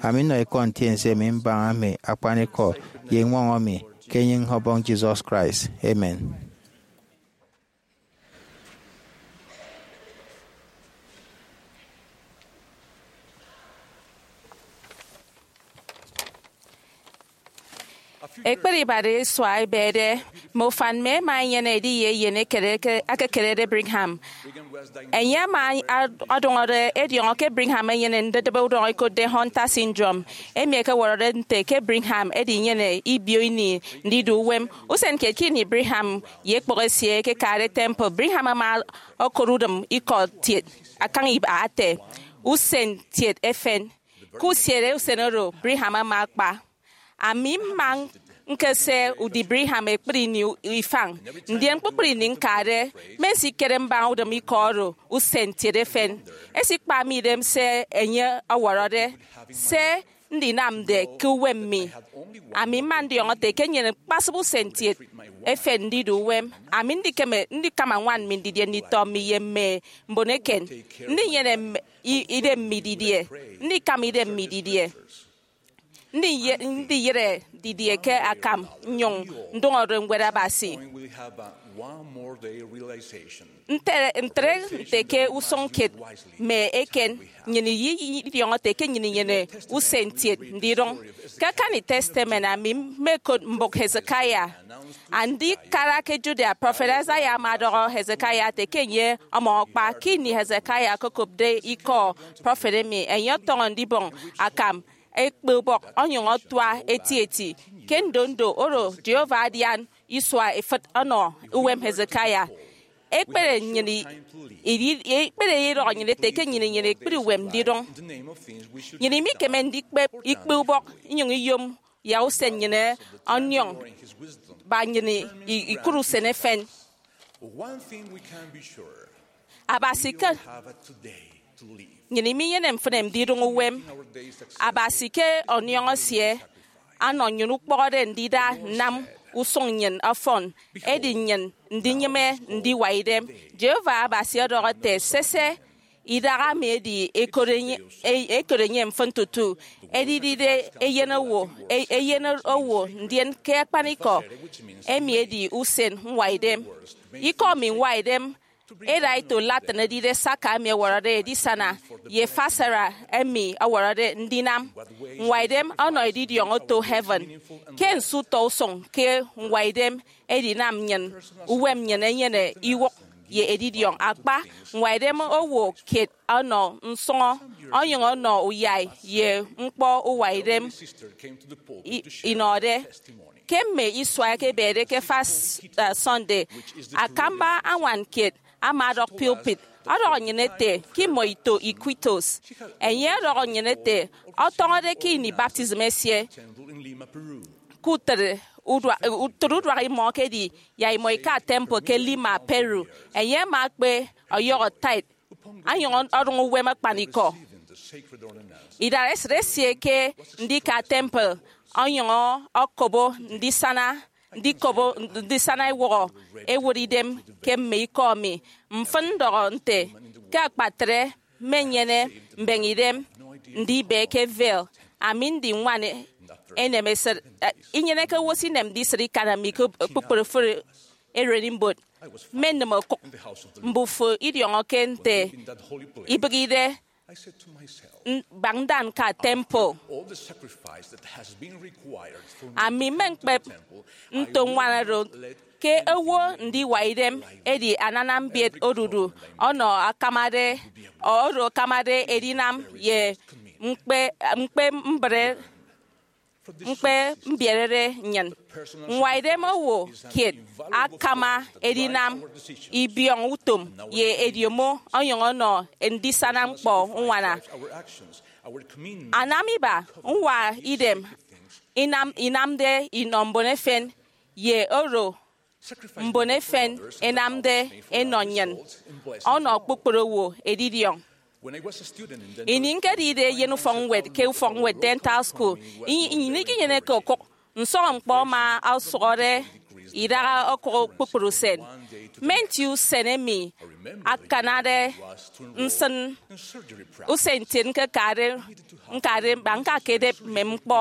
Ami nnọ ikọ ntiense emi mbaña mme akpanikọ ye ñwọñọ mi ke enyịñ Ọbọñ Jesus Christ. Amen. Ekpere ibara isua ebede, mme ufan mme ẹma ẹnyene ediye eyen ekededi ke akekerede Brigham. Enye ama ad- ọdụñọde ediọñọ ke Brigham enyene ndedịbe udọñọ ẹkotde Hunter syndrome, emi ẹkewọrọde nte ke Brigham edi inyene ibio ini ndidu uwem. Usen kiet ke ini Brigham ye ekpọk esie ẹkekade temple, Brigham ama okot udịm ikọ kiet akañ iba ete, "Usen kiet efen." Ke usiere usen oro, Brigham ama akpa. Ami mma ñkese udi Brigham ekpri ini ifañ, ndien kpukpru ini ñkade, mmensikere mbaña udịm ikọ oro, "Usen kiet efen." Esikpa mi idem se enye ọwọrọde, se ndinamde ke uwem mi. Ami mma ndiọñọ ete ke nnyịn ñkpasịp usen kiet efen ndidu uwem. Ami ndikeme ndikama ñwan mi ndidie nditọ mi ye mme mbon eken, ndinyene mme i- idem mi didie, ndikama idem mi didie, ndiye- ndiyịre didie ke akam, nnyụñ ndụñọde Ñwed Abasi. Ntre ntre nte ke usụñ kiet mme eken, nnyịn ididiọñọ ete ke nnyịn inyene usen kiet ndidụñ. Ke akani Testament, ami mmekot mbụk Hezekiah. Andikara ke Judea, prọfet Isaiah ama ọdọhọ Hezekiah ete ke enye ọmọñ akpa. Ke ini Hezekiah okokopde ikọ prọfet emi, enye ọtọñọ ndibọñ akam ekpeubọk onyụñ ọtua etieti. Ke ndondo oro, Jehovah adian isua ifịt ọnọ uwem Hezekiah. Ekpere nnyịn i- idi- ekpere idọhọ nnyịn ete ke nnyịn inyene ekpri uwem ndidụñ. Nnyịn imikeme ndikpep ikpeubọk inyụñ iyom ya usen nnyịn ọniọñ ba nnyịn i- ikụt usen efen. Abasi ke nnyịn iminyene mfịn ndidụñ uwem. Abasi ke ọniọñ esie anọ nnyịn ukpọhọde ndida nnam usụñ nnyịn ọfọn, edi nnyịn ndinyịme ndiwa idem. Jehovah Abasi ọdọhọ ete, "Sese, idaha mi edi ekot enye- e- ekot enye mfịn tutu edidide eyen owo, e- eyen owo, ndien ke akpanikọ, emi edi usen ñwaidem." Ikọ mi ñwaidem eda ito Latin edide sacca, emi ọwọrọde edisana, ye facere, emi ọwọrọde ndinam. Ñwaidem ọnọ edidiọñ oto heaven. Ke nso utọ usụñ ke ñwaidem edinam nnyịn, uwem nnyịn enyene iwụk ye edidiọñ akpa. Ñwaidem owo kiet ọnọ nsụñọ, onyụñ ọnọ uyai ye ñkpọ uwaidem i- inọde. Ke mme isua ẹkebede ke First, uh, Sunday, akamba añwan kiet ama ọdọk pulpit ọdọhọ nnyịn ete ke imọ ito Iquitos. Enye ọdọhọ nnyịn ete, ọtọñọde ke ini baptism esie, ke utịt udua- utịt uduak imọ ekedi ya imọ ika temple ke Lima, Peru. Enye ama akpe ọyọhọ tithe, anyụñ ọdụñ uwem akpanikọ. Idaresịt esie ke ndika temple onyụñ ọkobo ndisana, ndikobo ndisana ewụhọ ewot idem ke mme ikọ mi. Mfịn ndọhọ nte, ke akpatre mmenyene mbeñe idem ndibe ke veil. Ami ndi ñwan enemesịt, eh, inyeneke owo esinemde isịt ikan mi ke kpukpru ofụri ererimbot. Mmenịm okụk mbufo idiọñọke nte ibịghide n- baña nda ñka temple. Ami mmeñkpep nto ñwan oro ke owo ndiwa idem edi anana mbiet odudu ọnọ akamade, oro akamade edinam ye ñkpe, ñkpe mbre, ñkpe mbierede nnyịn. Ñwaidem owo kiet akama edinam ibiọñ utom ye ediomo ọnyọñ ọnọ ndisana ñkpọ uñwana. Anam iba ñwa idem inam, inamde inọ mbon efen ye oro mbon efen ẹnamde ẹnọ nnyịn ọnọ kpukpru owo edidiọñ. Ini ñkedide eyen ufọkñwed ke ufọkñwed dental school, i- nnyịn ikinyeneke okụk. Nsọñọñkpọ ama ọsụhọde idaha okụk kpukpru usen. Mme nti usen emi akanade nsịn usen ntiet ñkekade, ñkade, ba ñkakedep mme ñkpọ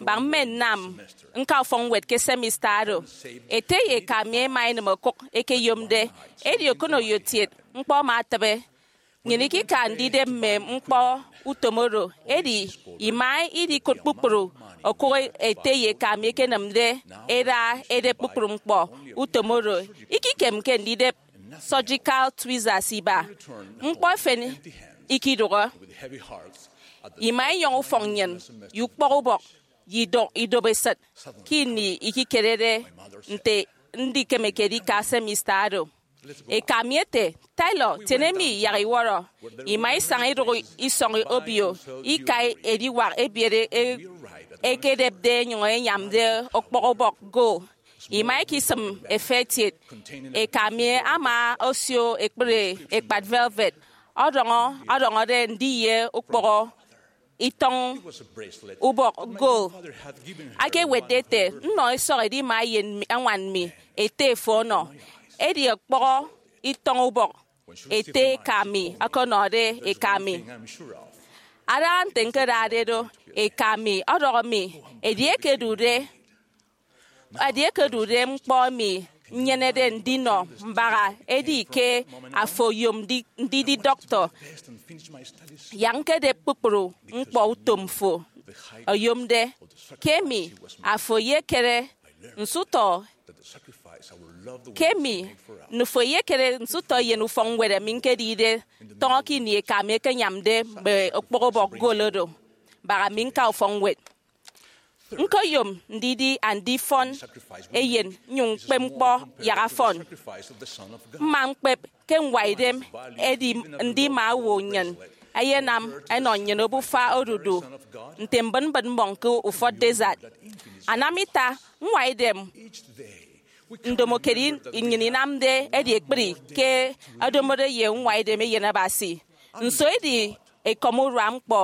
ba mme nnam ñka ufọkñwed ke semester oro. Ete ye eka mi ẹma ẹnịm okụk ẹkeyomde, edi okoneyo-tiet ñkpọ ama atịbe. Nnyịn ikika ndidep mme ñkpọ utom oro, edi ima idikụt kpukpru okụk ete ye eka mi ẹkenịmde ẹda ẹdep kpukpru ñkpọ utom oro. Ikikemke ndidep surgical tweezers iba. Ñkpọ efen ikidụhe. Ima inyọñ ufọk nnyịn ye ukpọk ubọk ye ido- idobo esịt ke ini ikikerede nte ndikemeke edika semester oro. Eka mi ete, "Taylor, tiene mi yak iwọrọ." Ima isaña idụk isọñ obio, ika ediwak ebiet e- ekedepde enyụñ enyamde okpọk ubọk gold. Ima ikisịm efe etiet. Eka mi ama osio ekpri ekpat velvet ọdọñọ, ọdọñọde ndiye ukpọhọ itọñ ubọk gold. Akewetde ete nnọ esọk edima eyen mi, añwan mi, ete, "Fo ọnọ." Edi ọkpọhọ itọñ ubọk ete eka mi ọkọnọde eka mi. Adaña nte ñkedade do, eka mi ọdọhọ mi, "Edieke edude, edieke edude ñkpọ emi nnyenede ndinọ mbaha, edi ke afo oyom ndi- ndidi dọktọ, yak ñkedep kpukpru ñkpọ utom fo oyomde. Ke emi afo eyekere nsụtọ, ke emi nufo eyekere nsụtọ eyen ufọkñwed emi ñkedide tọñọ ke ini eka mi ekenyamde mme okpọk ubọk gold oro mbaha mi ñka ufọkñwed. Ñkoyom ndidi andifọn eyen nnyụñ ñkpep ñkpọ yak afọn. Mma ñkpep ke ñwaidem edi ndima owo nnyịn ẹyenam ẹnọ nnyịn obufa odudu nte mbịtmbịt mmọñ ke ufọt desert. Anam ita, ñwaidem ndomokedi nnyịn inamde edi ekpri ke ẹdomode ye ñwaidem Eyen Abasi. Nso idi ekọm urua ñkpọ?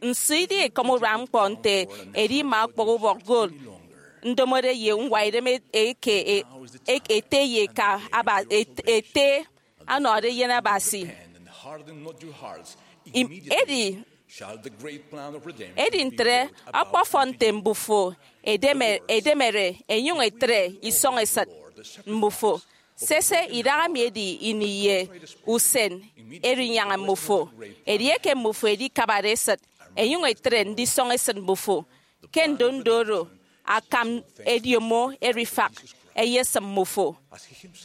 Nso idi ekọm urua ñkpọ nte edima okpọk ubọk gold ndomode ye ñwaidem eke e- e- ete ye eka aba et- ete ọnọde eyen Abasi? Im- edi edi ntre, ọkpọfọn nte mbufo edeme- edemere enyụñ etre isọñ esịt mbufo. Sese, idaha mi edi ini ye usen erinyaña mbufo. Edieke mbufo edikabade esịt, enyụñ etre ndisọñ esịt mbufo. Ke ndondo oro, akam ediomo erifak eyesịm mbufo.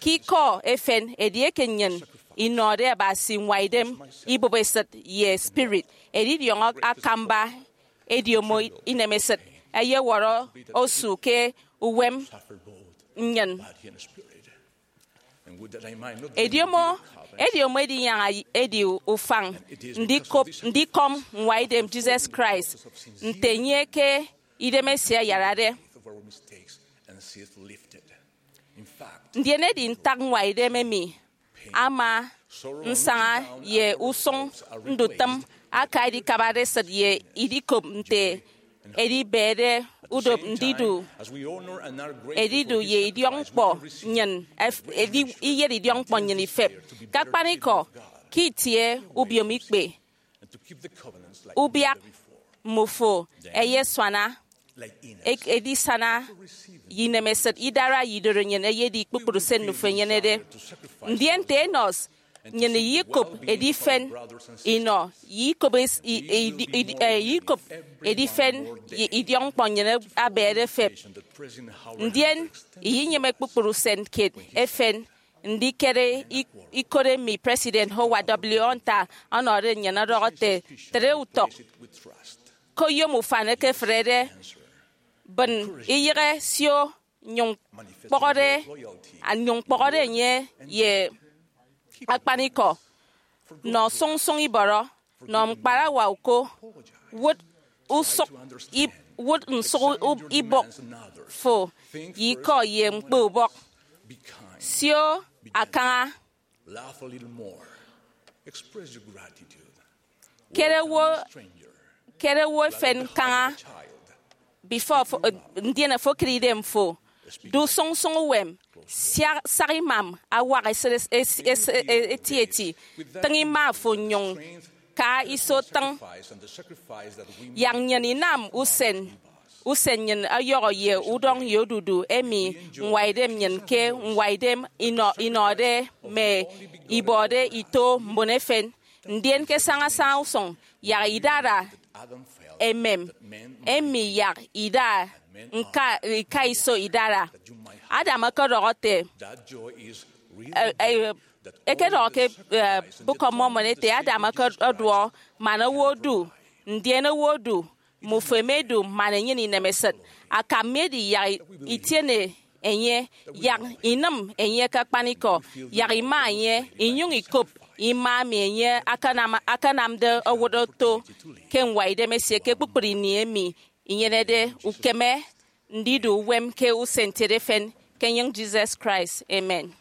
Ke ikọ efen, edieke nnyịn inọde Abasi ñwaidem ibụp esịt ye spirit, edidiọñ akamba ediomo inemesịt eyewọrọ osu ke uwem nnyịn. Ediomo ediomo edinyaña edi ufañ ndikop ndikọm ñwaidem Jesus Christ nte enye ke idemesie ayarade. Ndien edi ntak ñwaidem emi ama nsaña ye usụñ ndutịm aka edikabade esịt ye idikop nte edibede udop ndidu edidu ye idiọkñkpọ nnyịn ef- edi- iyet idiọkñkpọ nnyịn ifep. Ke akpanikọ, ke itie ubiomikpe, ubiak mmufo ẹyesuana, e- edisana ye inemesịt, idara ye idorenyin eyedi kpukpru se nnufo enyenede. Ndien nte Enos, Nnyịn iyekop edifen inọ, iyekop es- i- i- i- eh, iyekop edifen ye idiọkñkpọ nnyịn abañade efep. Ndien iyenyịme kpukpru usen kiet efen ndikere i- ikot emi President Howard W. Hunter ọnọde nnyịn ọdọhọ ete, tre utọk ke oyom ufan ekefrede, bịn iyịghe sio, nyụñ kpọhọde, nyụñ kpọhọde enye ye akpanikọ. Nọ sụñsụñ ibọrọ, nọ ñkparawa uko, wụt usụk ib- wụt nsụk ub- ibụk fo ye ikọ ye ñkpe ubọk. Sio akaña. Kere wo, kere wo efen kaña before fo- eh, ndien fo kere idem fo. Du sụñsụñ uwem, sia- sak imam, awak esịt es- es- es- eh, etieti. Tịñ ima fo nyụñ ka iso tịñ. Yak nnyịn inam usen usen nnyịn ọyọhọ ye udọñ ye odudu emi ñwaidem nnyịn ke ñwaidem inọ- inọde mme ibọde ito mbon efen. Ndien ke sañasaña usụñ, yak idara emem emi yak ida ñka- ñkaiso idara. Adam ọkọdọhọ ete, eh, eh, ekedọhọ ke, eh, Book of Mormon ete, Adam ọkọduọ man owo odu, ndien owo odu, mmufo emedu man enyene inemesịt. Akam mi edi yak itiene enye, yak inịm enye ke akpanikọ, yak ima enye, inyụñ ikop ima emi enye akanam- akanamde owụt oto ke ñwaidem esie ke kpukpru ini emi inyenede ukeme ndidu uwem ke usen ntiede efen, ke enyịñ Jesus Christ. Amen.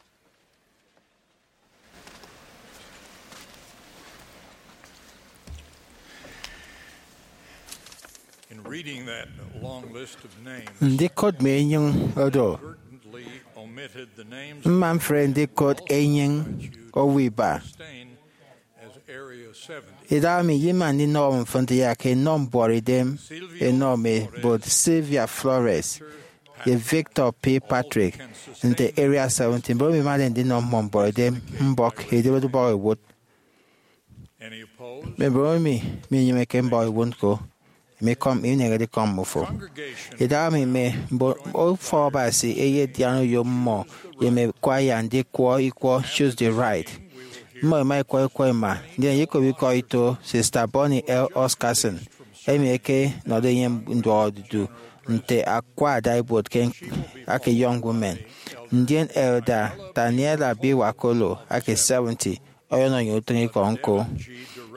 In reading that long list of names, Ndikot mme enyịñ oro, inadvertently omitted the names mma mfre ndikot enyịñ owo iba. Stain as Area seventy. Idaha mi, ye ima ndinọ mfịn nte yak enọ mbuọtidem enọ mme bot Sylvia Flores ye Victor P. Patrick nte Area seventy. Mbon emi imade ndinọ mmọ mbuọtidem mbọk edibet ubọk ewot. Any opposed? Mme mbon emi minyịmeke mbọk ewot ñko, emi ikọm, ineñede ikọm mmufo. Idaha mi, mme mbon ufọk Abasi eyedian oyom mmọ ye mme kwaya ndikwọ ikwọ Choose the Right. Mmọ ẹma ẹkwọ ikwọ ẹma, ndien ẹyekop ikọ ito Sister Bonnie L. Oscarson, emi ẹkenọde enye nduọk odudu nte akwa adaibuot ke ake Young Women, ndien Elder Daniela B. Wakolo ake seventy, ọyọnọ nnyịn utịñikọ ñko.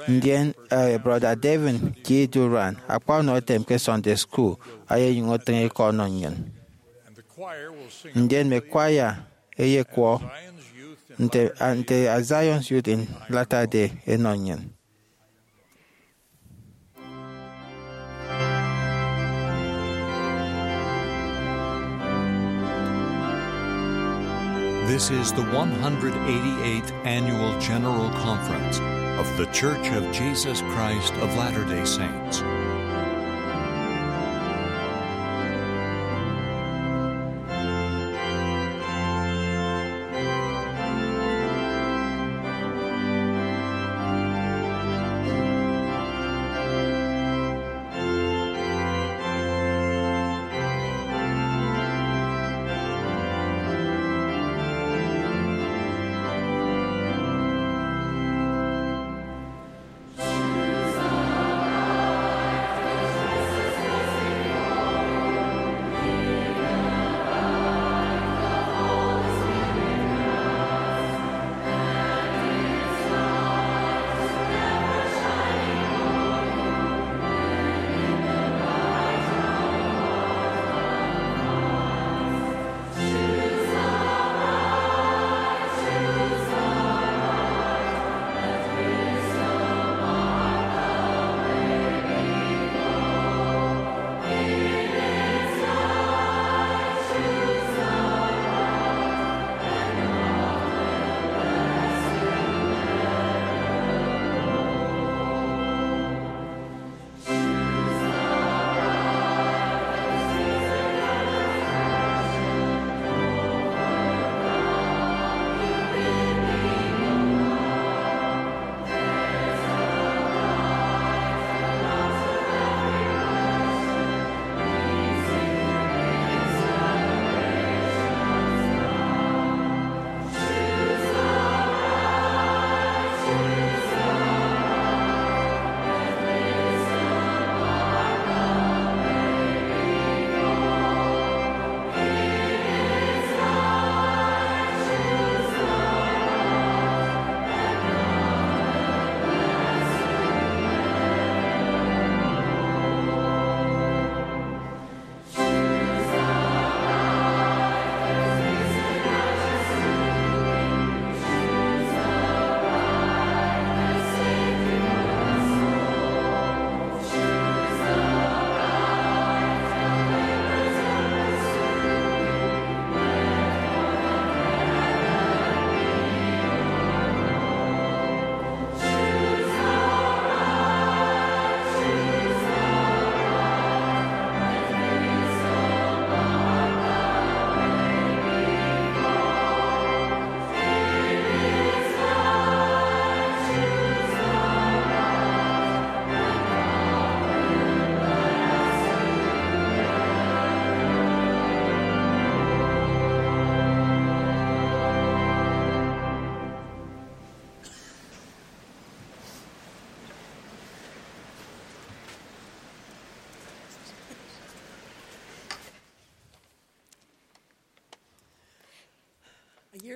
Ndien, eh, Brọda Devin G. Duran, akpa ọnọ etem ke Sunday School, ayenyụñ otịñ ikọ ọnọ nnyịn. Ndien mme kwaya eyekwọ nte, nte As Zion's Youth in Latter-day ẹnọ nnyịn. This is the one hundred eighty-eighth Annual General Conference of The Church of Jesus Christ of Latter-day Saints.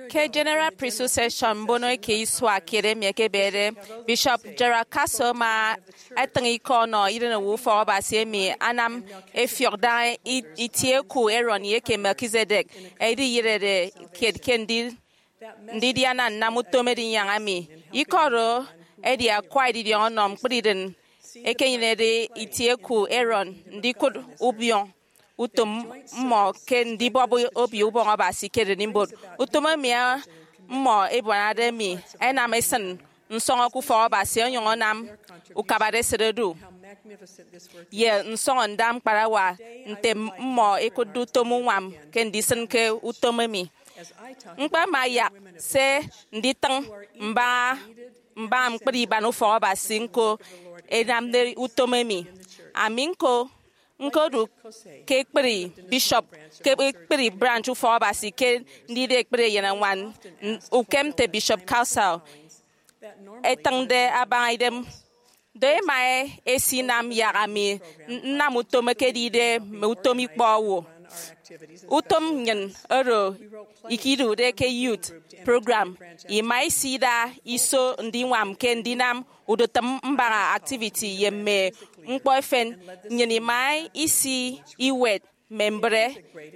Ke General Priesthood Session mbono eke isua kiet emi ekebede, Bishop Gerald Castle ama etịñ ikọ ọnọ irenowo ufọk Abasi emi anam efiọk daña i- itie eku Aaron ye eke Melchizedek ediyịrede kiet ke ndi- ndidiana nnam utom edinyaña mi. Ikọ oro edi akwa edidiọñ ọnọ ñkpri idịn ekenyenede itie eku Aaron ndikụt ubiọñ utom mmọ ke ndibọp obio ubọñ Abasi ke ererimbot. Utom emi mmọ ebuanade mi ẹnam esịn nsọñọ ke ufọk Abasi onyụñ anam ukabade esịt odu ye nsọñọ nda ñkparawa nte mmọ ẹkụtde utom uñwam ke ndisịn ke utom emi. Ñkpama yak se nditịñ mbaña mbaña ñkpri iban ufọk Abasi ñko ẹnamde utom emi. Ami ñko ñkodu ke ekpri bishop ke ekpri branch ufọk Abasi ke ndide ekpri eyenañwan ukem nte Bishop Castle etịñde abaña idem. Do ema esinam yak ami nnam utom ekedide mme utom ikpọ owo. Utom nnyịn oro ikidude ke youth program ima isida iso ndiñwam ke ndinam udutịm mbaña activity ye mme ñkpọ efen. Nnyịn ima isi iwet mme mbre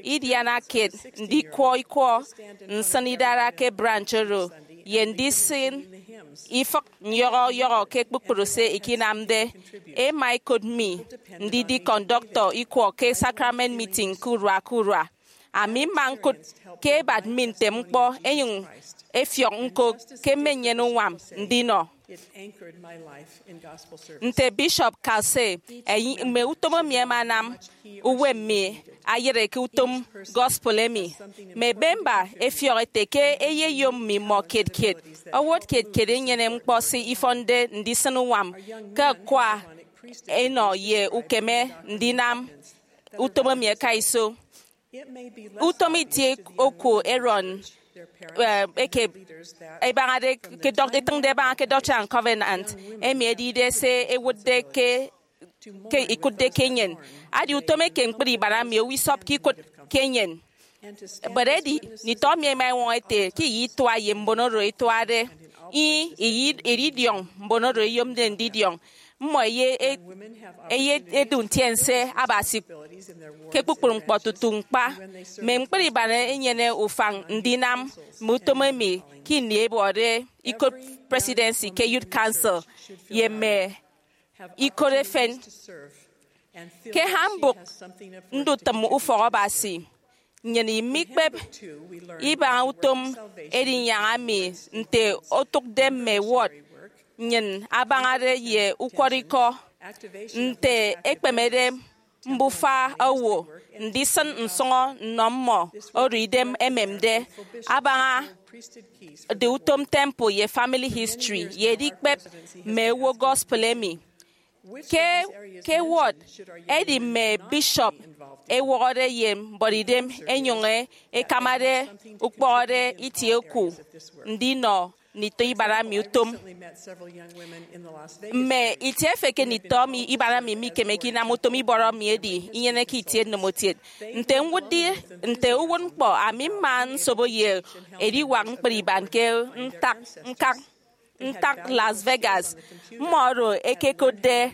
idiana kiet ndikwọ ikwọ nsịn idara ke branch oro ye ndisịn ifịk nyọhọ yọhọ ke kpukpru se ikinamde. Ema ikot mi ndidi kọndọktọ ikwọ ke sakrament meeting ke urua ke urua. Ami mma ñkụt ke ebat mi ntem ñkpọ enyụñ efiọk ñko ke mmenyene uñwam ndinọ. Nte Bishop Castle, mme utom emi ẹma ẹnam uwem mi ayịre ke utom gospel emi. Mme bemba ẹfiọk ẹte ke eyeyom mmimọ kiet kiet. Owot kiet kiet enyene ñkpọ se ifọnde ndisịn uñwam ke akwa enọ ye ukeme ndinam utom emi ẹka iso. Utom itie oku Aaron, eh, eke ebañade ke doc- etịñde ebaña ke Doctrine and Covenant emi edide se ẹwụtde ke ke ikụtde ke enyịn. Adi utom eke ñkpri iban emi owo isọpke ikụt ke enyịn. But edi nditọ mi ẹma ẹñwọñọ ẹte ke iyịt itua ye mbon oro ẹtuade, ih, iyịt idiọñ mbon oro ẹyomde ndidiọñ. Mmọ ẹye ẹye ẹdu ntiense Abasi ke kpukpru ñkpọ tutu ñkpa. Mme ñkpri iban ẹnyene ufañ ndinam mme utom emi ke ini ẹbọde ikot presidency ke Youth Council ye mme ikot efen. Ke handbook Ndutịm Ufọk Abasi, nnyịn imikpep ibaña utom edinyaña mi nte otụkde mme ward nnyịn abañade ye ukwọrọikọ, nte ekpemede mbufa owo, ndisịn nsọñọ nnọ mmọ oro idem ememde, abaña de utom temple ye family history ye edikpep mme owo gospel emi. Ke ke ward, edi mme bishop ewọhọde ye mbọrọidem enyụñ ekamade ukpọhọde itie oku ndinọ nditọ iban mi utom. Mme itie efe ke nditọ mi iban mi mikemeke inam utom ibọrọ mi edi inyeneke itie nnemotiet. Nte ñwụtde nte uwụtñkpọ, ami mma nsobo ye ediwak ñkpri iban ke ntak ñkak ntak Las Vegas. Mmọ oro ẹkekotde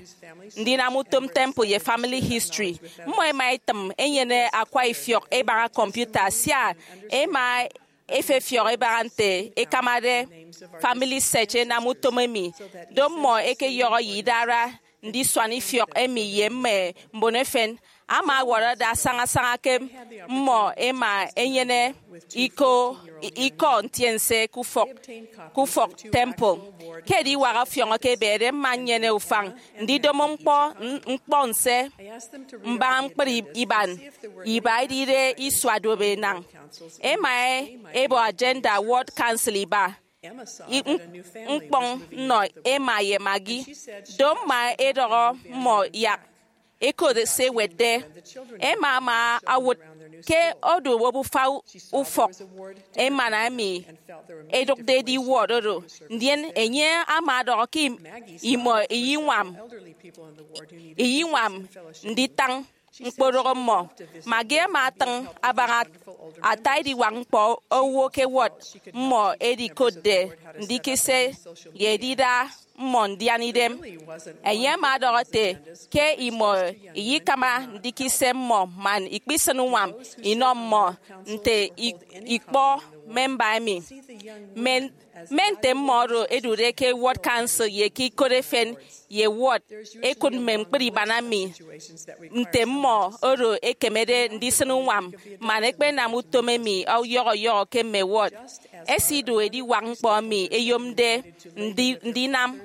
ndinam utom temple ye family history. Mmọ ẹma ẹtịm ẹnyene akwa ifiọk ẹbaña kọmputa sia ẹma ẹfefiọk ẹbaña nte ẹkamade Family Search ẹnam utom emi. Do mmọ ẹkeyọhọ ye idara ndisuan ifiọk emi ye mme mbon efen. Ama ọwọrọ ada sañasaña ke mmọ ẹma ẹnyene ikọ ikọ ntiense ke ufọk ke ufọk temple. Ke ediwak ọfiọñ eke ebede, mma nnyene ufañ ndidomo ñkpọ ñkpọ nse mbaña ñkpri iban iba edide isua duop enañ. Ema ebo agenda World Council iba ñkpọñ nnọ Emma ye Maggie. Do mma edọhọ mmọ yak ẹkot se ẹwetde. Emma ama owụt ke odu obufa ufọk emana emi ẹdụkde edi ward oro, ndien enye ama ọdọhọ ke imọ iyiñwam iyiñwam nditañ ñkpodụk mmọ. Maggie ama atịñ abaña ata ediwak ñkpọ owo ke ward mmọ edikotde ndikise ye edida mmọ ndian idem. Enye ama ọdọhọ ete ke imọ iyikama ndikise mmọ man ikpisịn uñwam inọ mmọ nte i- ikpọ memba emi. Mme mme nte mmọ oro ẹdude ke ward council ye ke ikot efen ye ward ẹkụt mme ñkpri iban emi nte mmọ oro ẹkemede ndisịn uñwam man ẹkpenam utom emi ọyọhọ ọyọhọ ke mme ward. Ẹsidu ediwak ñkpọ emi ẹyomde ndi- ndinam.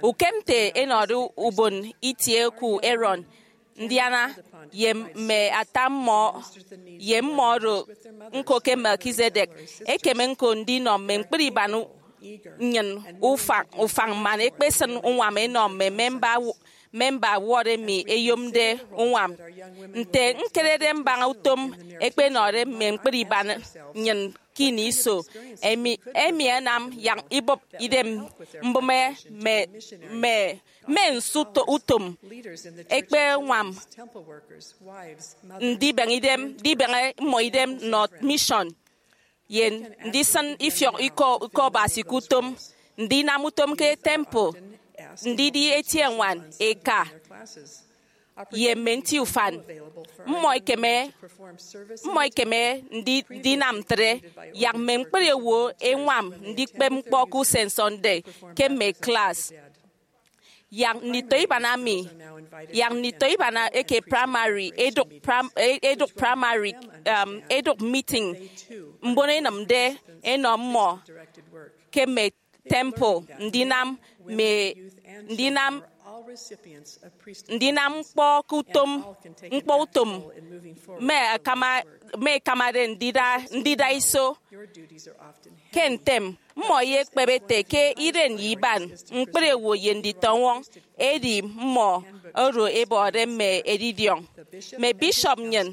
Ukem nte ẹnọde ubon itie oku Aaron, ndiana, ye mme ata mmọ ye mmọ oro ñko ke Melchizedek, ẹkeme ñko ndinọ mme ñkpri iban nnyịn ufañ ufañ man ẹkpesịn uñwam ẹnọ mme memba memba ward emi ẹyomde uñwam. Nte ñkerede mbaña utom ẹkpenọde mme ñkpri iban nnyịn ke ini iso, emi emi ẹnam yak ibụp idem mbụme mme mme mme nsu to- utom ẹkpeñwam ndibeñe idem ndibeñe mmọ idem nnọ mission ye ndisịn ifiọk ikọ ikọ Abasi ke utom, ndinam utom ke temple, ndidi eti eñwan, eka, ye mme nti ufan. Mmọ ikeme mmọ ikeme ndi- ndinam ntre yak mme ñkpri owo ẹñwam ndikpep ñkpọ ke usen Sunday ke mme klas. Yak nditọ iban ami yak nditọ iban eke primary edụk prim- e- edụk primary um, edụk meeting mbon ẹnịmde ẹnọ mmọ ke mme temple ndinam mme ndinam ndinam ñkpọ ke utom ñkpọ utom mme akama mme ikamade ndida ndida iso. Ke ntem, mmọ eyekpep ete ke iren ye iban ñkpri owo ye nditọñwọñ edi mmọ oro ẹbọde mme edidiọñ. Mme bishop nnyịn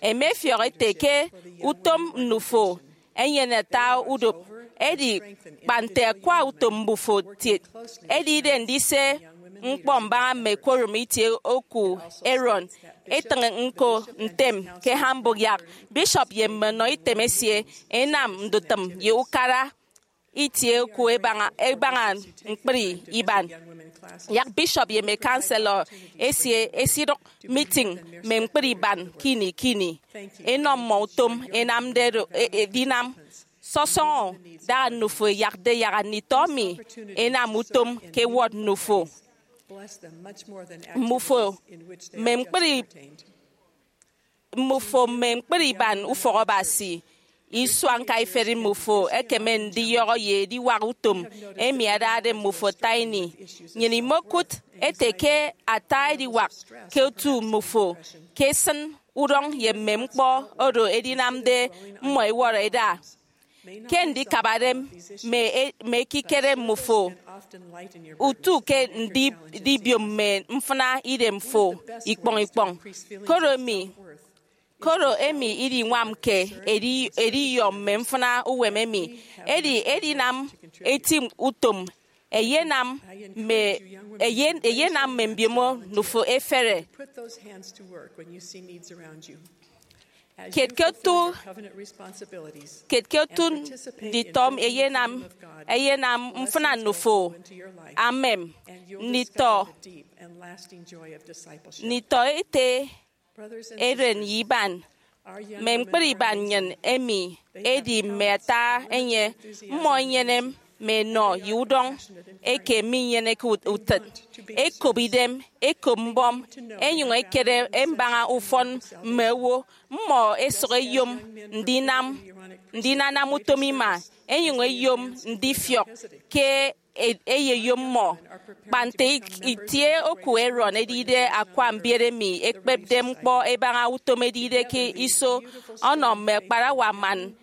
ẹmefiọk ete ke utom nnufo enyene ata udop, edi kpa nte akwa utom mbufo kiet edide ndise ñkpọ mbaña mme quorum itie oku Aaron, etịñ ñko ntem ke Hamburg yak bishop ye mme nnọ item esie ẹnam ndutịm ye ukara itie oku ẹbaña ẹbaña ñkpri iban. Yak bishop ye mme counselor esie ẹsidụk meeting mme ñkpri iban ke ini ke ini ẹnọ mmọ utom ẹnamde do- e- edinam. Sọsọñọ, da nnufo ẹyakde yak nditọ emi ẹnam utom ke ward nnufo. Mmufo mme ñkpri mmufo mme ñkpri iban ufọk Abasi. Isua ñkaiferi mmufo ẹkeme ndiyọhọ ye ediwak utom emi adade mmufo ata ini. Nnyịn imokụt ete ke ata ediwak ke otu mmufo ke esịn udọñ ye mme ñkpọ oro edinamde mmọ ẹwọrọ ẹda ke ndikabade mme e- mme ekikere mmufo, utu ke ndi- ndibiom mme mfịna idemfo ikpọñ ikpọñ. Koro emi koro emi idiñwamke edi- ediyọ mme mfịna uwem emi. Edi edinam eti utom eyenam mme eyen- eyenam mme mbiomo nnufo efere. Put those hands to work when you see needs around you. Kiet ke otu kiet ke otu nditọ eyenam eyenam mfịna nnufo. Amem nditọ nditọ ete eren ye iban. Mme ñkpri iban nnyịn emi edi mme ata enye. Mmọ enyene mme enọ ye udọñ eke minyeneke ut- utịt. Ẹkop idem, ẹkop mbọm, ẹnyụñ ẹkere mbaña ufọn mme owo. Mmọ ẹsụk ẹyom ndinam ndinanam utom ima, ẹnyụñ ẹyom ndifiọk ke e- eyeyom mmọ. Kpa nte itie oku Aaron edide akwa mbiet emi ẹkpepde ñkpọ ẹbaña utom edide ke iso ọnọ mme akparawa man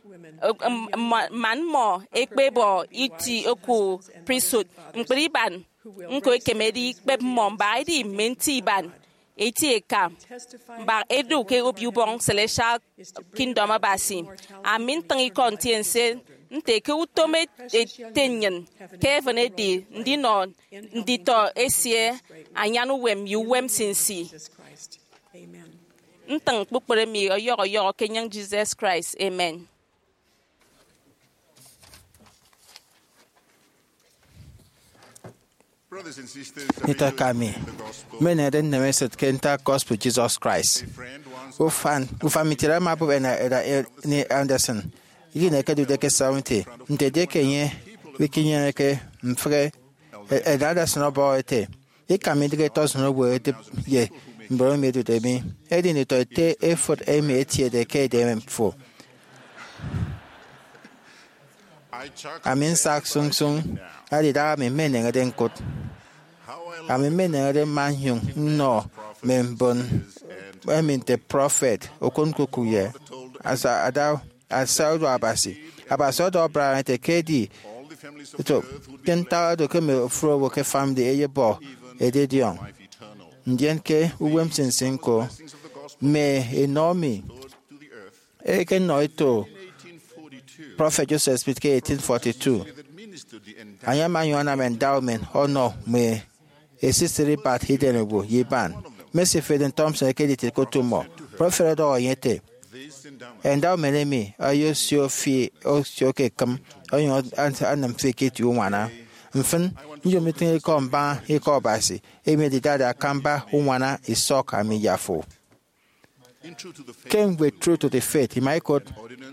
man mmọ ẹkpebọ iti oku priesthood. Ñkpri iban ñko ẹkemede ikpep mmọ mbak edi mme nti iban eti eka mbak edu ke obio ubọñ celestial kingdom Abasi. Ami ntịñ ikọ ntiense nte ke utom ete nnyịn ke heaven edi ndinọ nditọ esie anyan uwem ye uwem nsinsi. ntịñ kpukpru emi ọyọhọ ọyọhọ ke enyịñ Jesus Christ. Amen. Nte eka mi, mme eneñede nneme esịt ke ntak gospel Jesus Christ. Ufan ufan mi etiede ama bụp ena eda Ernie Anderson, ini ẹkedude ke seventy, nte edieke enye mikinyeneke mfịghe. Elder Anderson ọbọhọ ete, ika mi idịghe tọsịn owo edịp ye mbon emi ẹdude mi, edi nditọ ete efụt emi etiede ke edem fo. Ami nsak sụñsụñ, edi idaha mi mmeneñede ñkụt. Ami mmeneñede mma nnyụñ nnọ mme mbon emi nte prọfet, okụt ñkukụk ye asa ada asa odu Abasi. Abasi ọdọhọ Brian ete ke edi eto ke ntak edo ke mme ofụri owo ke family eyebọ edidiọñ. Ndien ke uwem nsinsi ñko, mme enọ mi ekenọ eto Prọfet Joseph Smith ke eighteen forty-two. Enye ama onyụñ anam endowment ọnọ mme esisịt ibat idem owo ye iban. Mme Stephen Thompson ẹkediti ẹkot mmọ. Prọfet ọdọhọ enye ete, endowment emi eyosio fi osio ke ekịm, onyụñ anam fi ke itie uñwana. Mfịn, nyom itịñ ikọ mbaña Ikọ Abasi, emi edidade akamba uñwana isọk ami ye afo. Ke ñwed True to the Faith, ima ikot,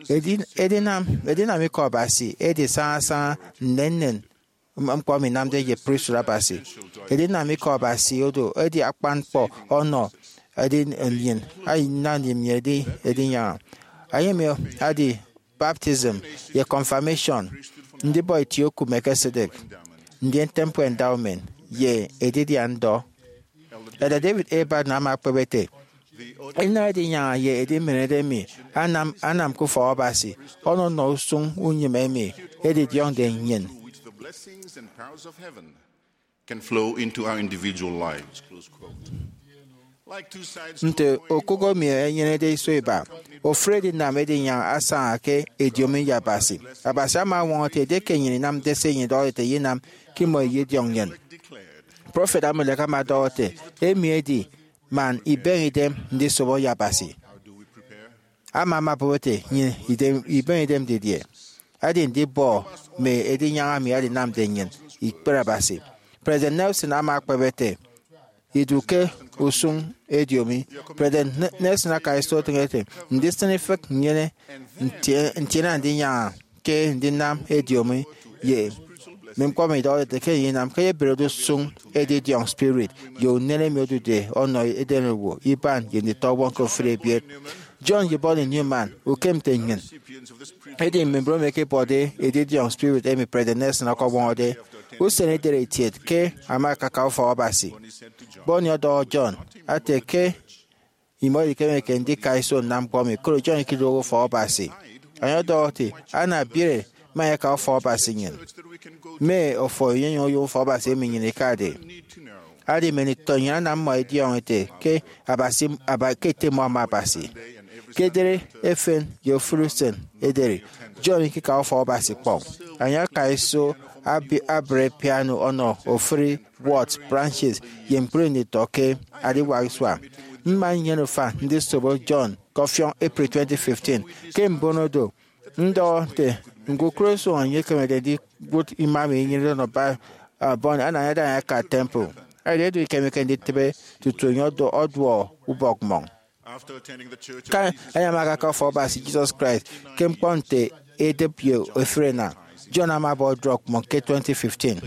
edi- edinam edinam Ikọ Abasi edi sañasaña nnennen ñkpọ emi inamde ye prestut Abasi. Edinam Ikọ Abasi odo edi akpan ñkpọ ọnọ edi nnyịn, edi nnyịn edi edinyaña. Enye emi edi baptism ye confirmation, ndibọ itie oku Melchizedek, ndien temple endowment, ye edidian ndọ. Elder David A. Bednar ama ekpep ete, edinam edinyaña ye edimenerede emi anam anam ke ufọk Abasi ọnọnọ usụñ unyịme emi edidiọñde nnyịn. Can flow into our individual lives. Nte okụk emi enyenede iso iba, ofụri edinam edinyaña asaña ke ediomi ye Abasi. Abasi ama ọñwọñọ ete edieke nnyịn inamde se enye idọhọde ete ye inam, ke imọ ididiọñ nnyịn. Prọfet Amulek ama ọdọhọ ete, emi edi man ibeñe idem ndisobo ye Abasi. Ama ama bụp ete, nnyịn ibeñe idem didie? Edi ndibọ mme edinyaña emi edinamde nnyịn ikpere Abasi. President Nelson ama ekpep ete, idu ke usụñ ediomi. President Nelson akaiso etịñ ete, ndisịn ifịk nnyene ntiene ndinyaña ke ndinam ediomi ye mme ñkpọ emi idọhọde ete ke enye inam ke eyeberede usụñ edidiọñ spirit ye unen emi odude ọnọ edenowo, iban, ye nditọwọñ ke ofụri ebiet. John ye Bonnie Newman, ukem nte nnyịn, edi mme mbon emi ẹkebọde edidiọñ spirit emi President Nelson ọkọñwọñọde. Usen edere itiet ke ama akaka ufọk Abasi. Bonnie ọdọhọ John ete ke imọ idikemeke ndika iso nnam ñkpọ emi, koro John ikiduọk ufọk Abasi. Enye ọdọhọ ete, ana biere mme ẹka ufọk Abasi nnyịn. Mme ofo inyụñ oyom ufọk Abasi emi nnyịn ikade. Edi mme nditọ nnyịn anam mmọ ẹdiọñọ ete ke Abasi aba ke ete mmọ ama Abasi. Ke edere efen ye ofụri usen ederi, John ikika ufọk Abasi kpọñ. Enye akaiso abi- abre piano ọnọ ofụri wort, branches, ye ñkpri nditọ ke adiwak isua. Mma nnyene ufan ndisobo John ke ọfiọñ April twenty fifteen. Ke mbono do, ndọhọ nte ñkukụre usụñ enye ekemede ndiwụt ima emi inyenede ọnọ Ba- ah, Bonnie anañade enye aka temple. Edi edu ikemeke nditịbe tutu enye ọdọ- ọduọ ubọk mmọñ. Ke enye ama akaka ufọk Abasi Jesus Christ ke ñkpọ nte edịp ye ofụri enañ, John ama ọbọ drọk mmọñ ke twenty fifteen.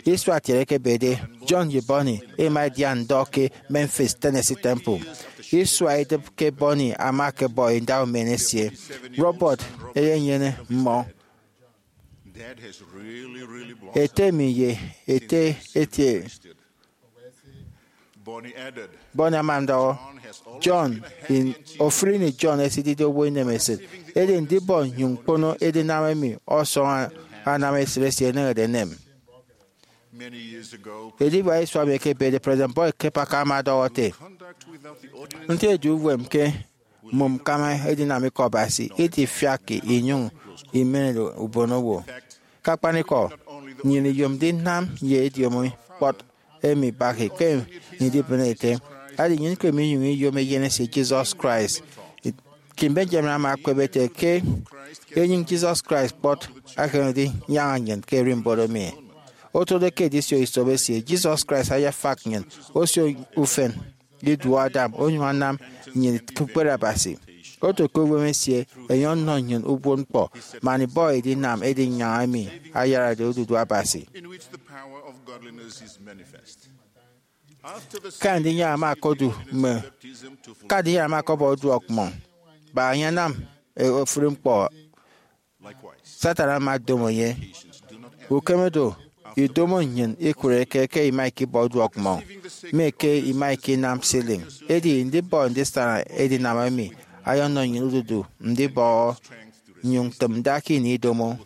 Isua kiet ẹkebede, John ye Bonnie ẹma ẹdia ndọ ke Memphis Tennessee Temple. Isua idịp ke Bonnie ama ọkọbọ endowment esie, Robert eyenyene mmọ. Ete mi ye ete etie Bonnie ama ndọhọ, John, in- ofụri ini John esidide owo inemesịt, edi ndibọ nnyụñ ñkpono edinam emi ọsọñ anam esịt esie eneñede enem. Ediwak isua emi ẹkebede, President Boyd K. Packer ama ọdọhọ ete, nte edu uwem ke mmomñkama edinam Ikọ Abasi idifiakke inyụñ imenede ubonowo. Ke akpanikọ, nnyịn iyomde inam ye ediomi kpọt emi Packer ke ndibịne ete, Edi nnyịn ke minyụñ iyom eyen esie Jesus Christ. King Benjamin ama ekpep ete ke enyịñ Jesus Christ kpọt akanade nyaña nnyịn ke ererimbot emi. Otode ke edisio isop esie, Jesus Christ ayafak nnyịn, osio ufen iduọ Adam, onyụñ anam nnyịn ke ukpere Abasi. Oto ke uwem esie, enye ọnọ nnyịn ubuot ñkpọ man ibọhọ edinam edinyaña emi ayarade odudu Abasi. In which the power of godliness is manifest. Ke andinyaña ama okodu mme, ke andinyaña ama okọbọ uduọk mmọñ, bak enye anam e, ofụri ñkpọ, Satan ama odomo enye. Ukeme do, idomo nnyịn ikụreke ke ima ikibọ uduọk mmọñ, mme ke ima ikinam ceiling. Edi ndibọ ndisana edinam emi ayọnọ nnyịn odudu ndibọhọ nnyụñ tịm nda ke ini idomo.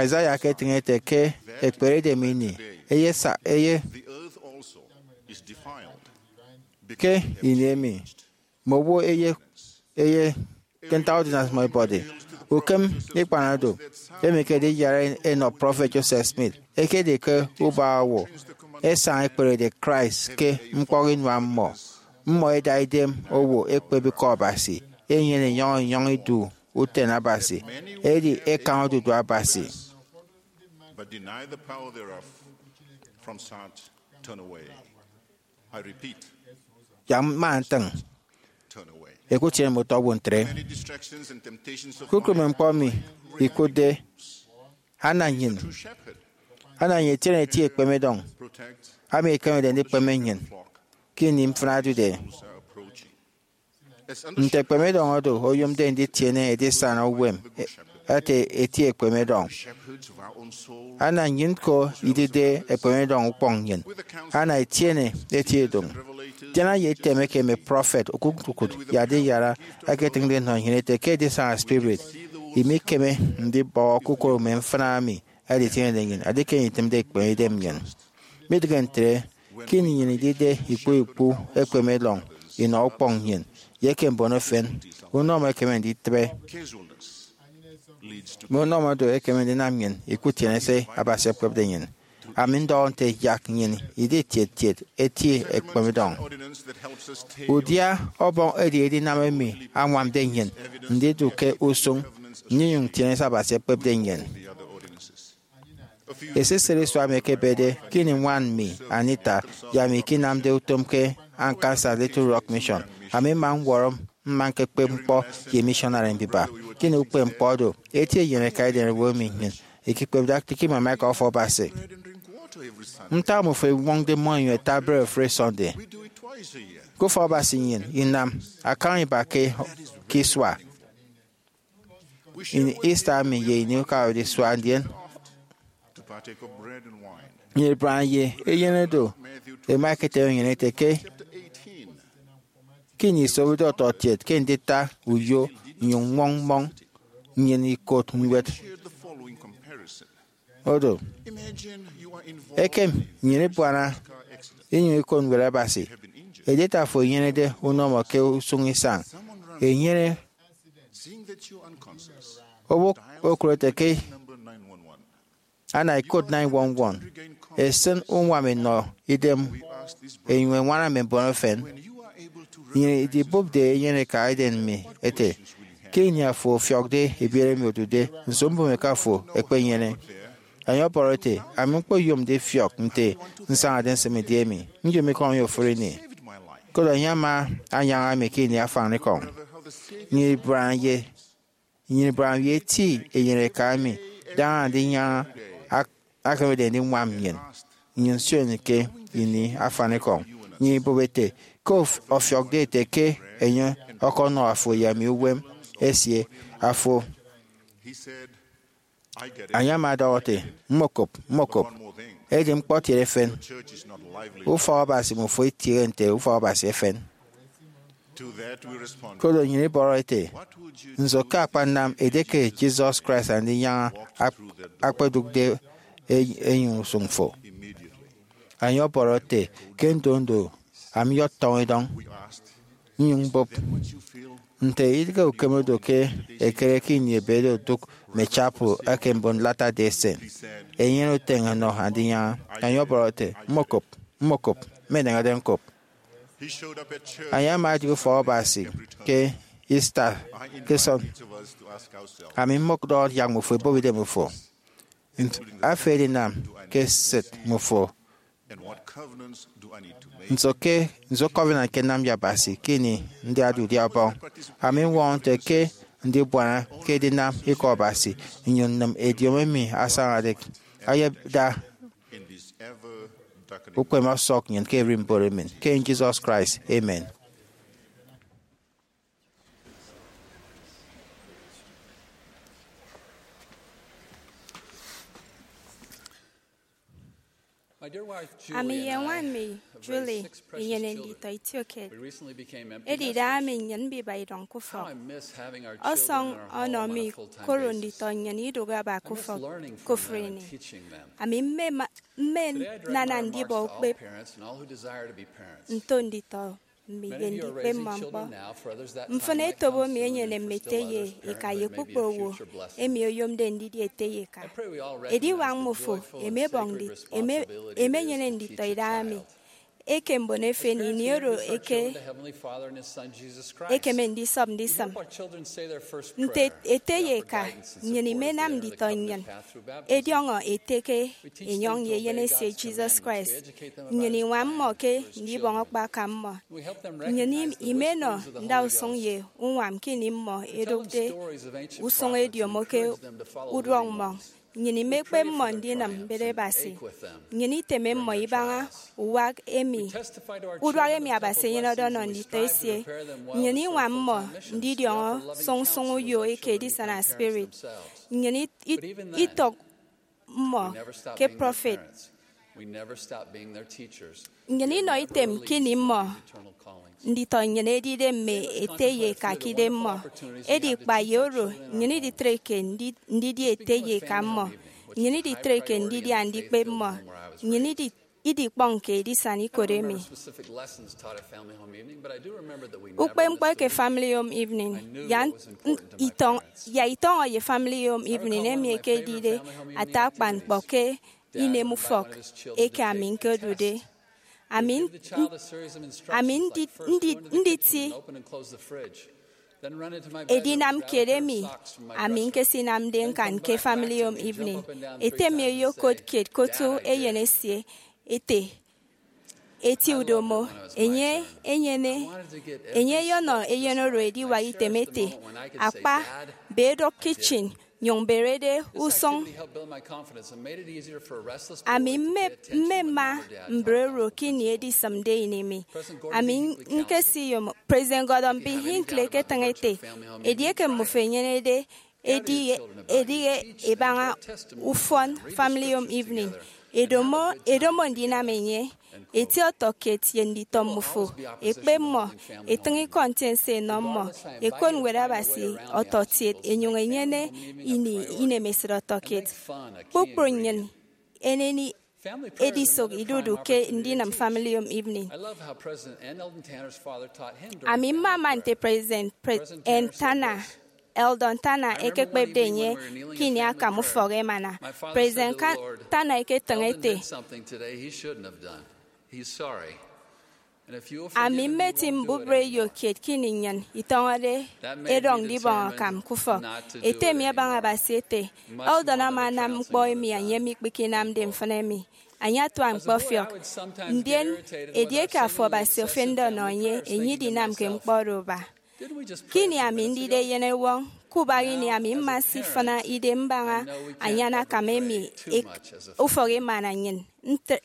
Isaiah eketịñ ete ke ekpere edem ini, eye sa-, eye ke ini emi, mme owo eye, eye ke ntak udiana mmọ ibọde. Ukem ikpanado, emi ke ediyara enọ Prọfet Joseph Smith, ekedi ke ubak owo ẹsaña ẹkperede Christ ke ñkpọk inua mmọ, mmọ ẹda idem owo ẹkpep Ikọ Abasi, ẹnyene enyọñ enyọñ idu usen Abasi, edi ẹkañ odudu Abasi. But deny the power thereof, from such turn away. I repeat, yak mma ntịñ, turn away. Ẹkutiene mme utọ owo ntre. Many distractions and temptations of kukụme ñkpọ emi ikụtde ana nnyịn, ana nnyịn etiene eti ekpemedọñ, protect ami ekemede ndikpeme nnyịn flock ke ini mfịna odude. Are approaching. Nte ekpemedọñ oro oyomde nditiene edisana uwem ete eti ekpemedọñ. Ana nnyịn ko idide ekpemedọñ ukpọñ nnyịn, ana etiene eti edụñ. Tiene ye item eke mme prọfet okụt-okụt ye adiyara ẹketịñde ẹnọ nnyịn ete ke edisana spirit, imikeme ndibọhọ kpukpru mme mfịna emi ẹditienede nnyịn, edi ke nnyịn itịmde ikpehe idem nnyịn. Midịghe ntre, ke ini nnyịn idide ikpu ikpu ekpemedọñ inọ ukpọñ nnyịn ye eke mbon efen, unọmọ ekeme nditịbe. Mme unọmọ oro ekeme ndinam nnyịn ikutiene se Abasi ekpepde nnyịn. Ami ndọhọ nte yak nnyịn idi tiet tiet eti ekpemedọñ. Udia Ọbọñ edi edinam emi añwamde nnyịn ndidu ke usụñ nnyịn inyụñ itiene se Abasi ekpepde nnyịn. Esisịt isua emi ekebede, ke ini ñwan mi, Anita, ye ami ikinamde utom ke Arkansas Little Rock Mission, ami mma ñwọrọ mma ñkekpep ñkpọ ye missionary mbiba. Ke ini ukpepñkpọ oro, eti eyeneka eden owo emi nnyịn ikikpepde ata ke imama eka Ofụri Abasi. Ntak mmọ efen ẹñwọñde mmọñ inyụñ ẹta bred ofụri Sunday? Ke Ofụri Abasi nnyịn inam akañ iba ke, ke isua. Ini Easter emi ye ini ukawet isua ndien nnyịn ibaña ye eyen oro ẹma ẹketeme nnyịn ete ke, ke ini isobode ọtọkiet ke ndita uyo inyụñ ññwọñ mmọñ, nnyịn ikot ñwed oro. Ekem nnyịn ibuana inyụñ ikot ñwed Abasi. Edita afo enyenede unọmọ ke usụñ isañ enyene. Owo okụre ete ke ana ikot nine one one, esịn uñwam enọ idem, enyụñ eñwana mme mbon efen. Nnyịn idibụpde eyeneka eden mi ete, ke ini afo ọfiọkde ebiere emi odude, nso mbụme ke afo ekpenyene? Enye ọbọrọ ete, ami ñkpoyomde ifiọk nte nsañade nsịm idi emi, nyomikọñ ye ofụri ini. Koro enye ama anyaña mi ke ini afanikọñ. Nnyịn ibuana ye, nnyịn ibuana ye eti eyeneka emi, daña ndinyaña ak-, akemede ndiñwam nnyịn. Nnyịn nsioño ke ini afanikọñ. Nnyịn ibụp ete, ke of-, ọfiọkde ete ke enye ọkọnọ afo ye ami uwem esie, afo Enye ama ọdọhọ ete, mmokop, mmokop, edi ñkpọtiet efen. Ufọk Abasi mmufo itiehe nte ufọk Abasi efen. Koro nnyịn ibọrọ ete, nso ke akpanam edieke Jesus Christ Andinyaña ak-, akpedụkde e-, enyịñ usụñ fo? Enye ọbọrọ ete, ke ndondo, ami ọtọñọ idọñ. Nnyụñ mbụp, nte idịghe ukeme do ke ekere ke ini ebe do odụk mme chapel eke mbon Latter-day Saint, enyene uteñe ẹnọ Andinyaña? Enye ọbọrọ ete, mmokop, mmokop, ama eneñede ñkop. Enye ama adia ufọk Abasi ke Easter ke Sun. Ami mmọdọhọ yak mmufo ebọp idem ufo. Nso afo edinam ke esịt mmufo? Nso ke, nso covenant ke nnam ye Abasi ke ini ndiade udia Ọbọñ? Ami ñwọñọ nte ke ndibuana ke edinam Ikọ Abasi nnyụñ nnịm ediomi emi asañade ayada ukpeme ọsọk nnyịn ke ererimbot emen, ke Jesus Christ. Amen. Ami ye ñwan mi, Julie, inyene nditọ itiokiet. Edide ami nnyịn mbiba idọñ ke ufọk. Ọsọñ ọnọ mi koro nditọ nnyịn idụk aba ke ufọk ke ofụri ini. Ami mme ma- mme nana ndibọ ukpep nto nditọ mi ye ndikpe mmọ ñkpọ. Mfịn etop emi enyene mme ete ye eka ye kpukpru owo emi oyomde ndidi ete ye eka. Ediwak mmufo emebọñ ndi- eme- emenyene nditọ idaha mi eke mbon efen ini oro eke ekeme ndisọp ndisịm. Nte ete ye eka, nnyịn imenam nditọ nnyịn ẹdiọñọ ete ke enyọñ ye eyen esie Jesus Christ. Nnyịn iñwam mmọ ke ndibọñ akpaka mmọ. Nnyịn im- imenọ ndausụñ ye uñwam ke ini mmọ ẹdụkde usụñ ediomo ke uduọk mmọñ. Nnyịn imekpep mmọ ndinịm mbet Abasi. Nnyịn iteme mmọ ibaña uwak emi, uduak emi Abasi enyenede ọnọ nditọ esie. Nnyịn iñwam mmọ ndidiọñọ sụñsụñ uyo eke edisana spirit. Nnyịn it- it- itọk mmọ ke prọfet. Nnyịn inọ item ke ini mmọ nditọ nnyịn edide mme ete ye eka ke idemmọ. Edi kpa ye oro, nnyịn iditreke ndi- ndidi ete ye eka mmọ. Nnyịn iditreke ndidi andikpep mmọ. Nnyịn idi- idikpọñke edisana ikot emi. Ukpepñkpọ eke Family Home Evening, ya n- n- itọñ- ya itọñọ ye Family Home Evening emi ekedide ata akpan ñkpọ ke inem ufọk eke ami ñkodude. Ami n- ami ndi- ndi- nditi edinam kiet emi ami ñkesinamde ñkan ke Family Home Evening. Ete mi oyokot kiet kotu eyen esie ete, eti udomo. Enye enyene, enye eyọnọ eyen oro ediwak item ete, akpa, be edọk kitchen nyụñ berede usụñ. Ami mme- mmema mbre oro ke ini edisịmde ini mi. Ami ñkesiyom President Gordon B. Hinckley eketịñ ete, edieke mmufo enyenede ediye ediye ibaña ufọn Family Home Evening, edomo edomo ndinam enye. Eti ọtọkiet ye nditọ mmufo, ekpe mmọ, etịñ ikọ ntiense enọ mmọ, ekot Ñwed Abasi ọtọkiet, enyụñ enyene ini inemesịt ọtọkiet. Kpukpru nnyịn eneni edisụk idudu ke ndinam Family Home Evening. Ami mmama nte President N. Tanner, Eldon Tanner ekekpepde enye ke ini akam ufọk emana. President Tanner eketịñ ete, ami mmeti mbubreyo kiet ke ini nnyịn itọñọde edọñ ndibọñ akam ke ufọk. Ete mi abaña Abasi ete, Eldon ama anam ñkpọ emi enye mikpekenamde mfịn emi. Enye atuak ñkpọfiọk. Ndien, edieke afo Abasi ofende ọnọ enye, enye idinamke ñkpọ oro aba. Ke ini ami ndide eyenewọñ, kubak ini ami mma sifịna idem mbaña anyan akam emi ufọk emana nnyịn.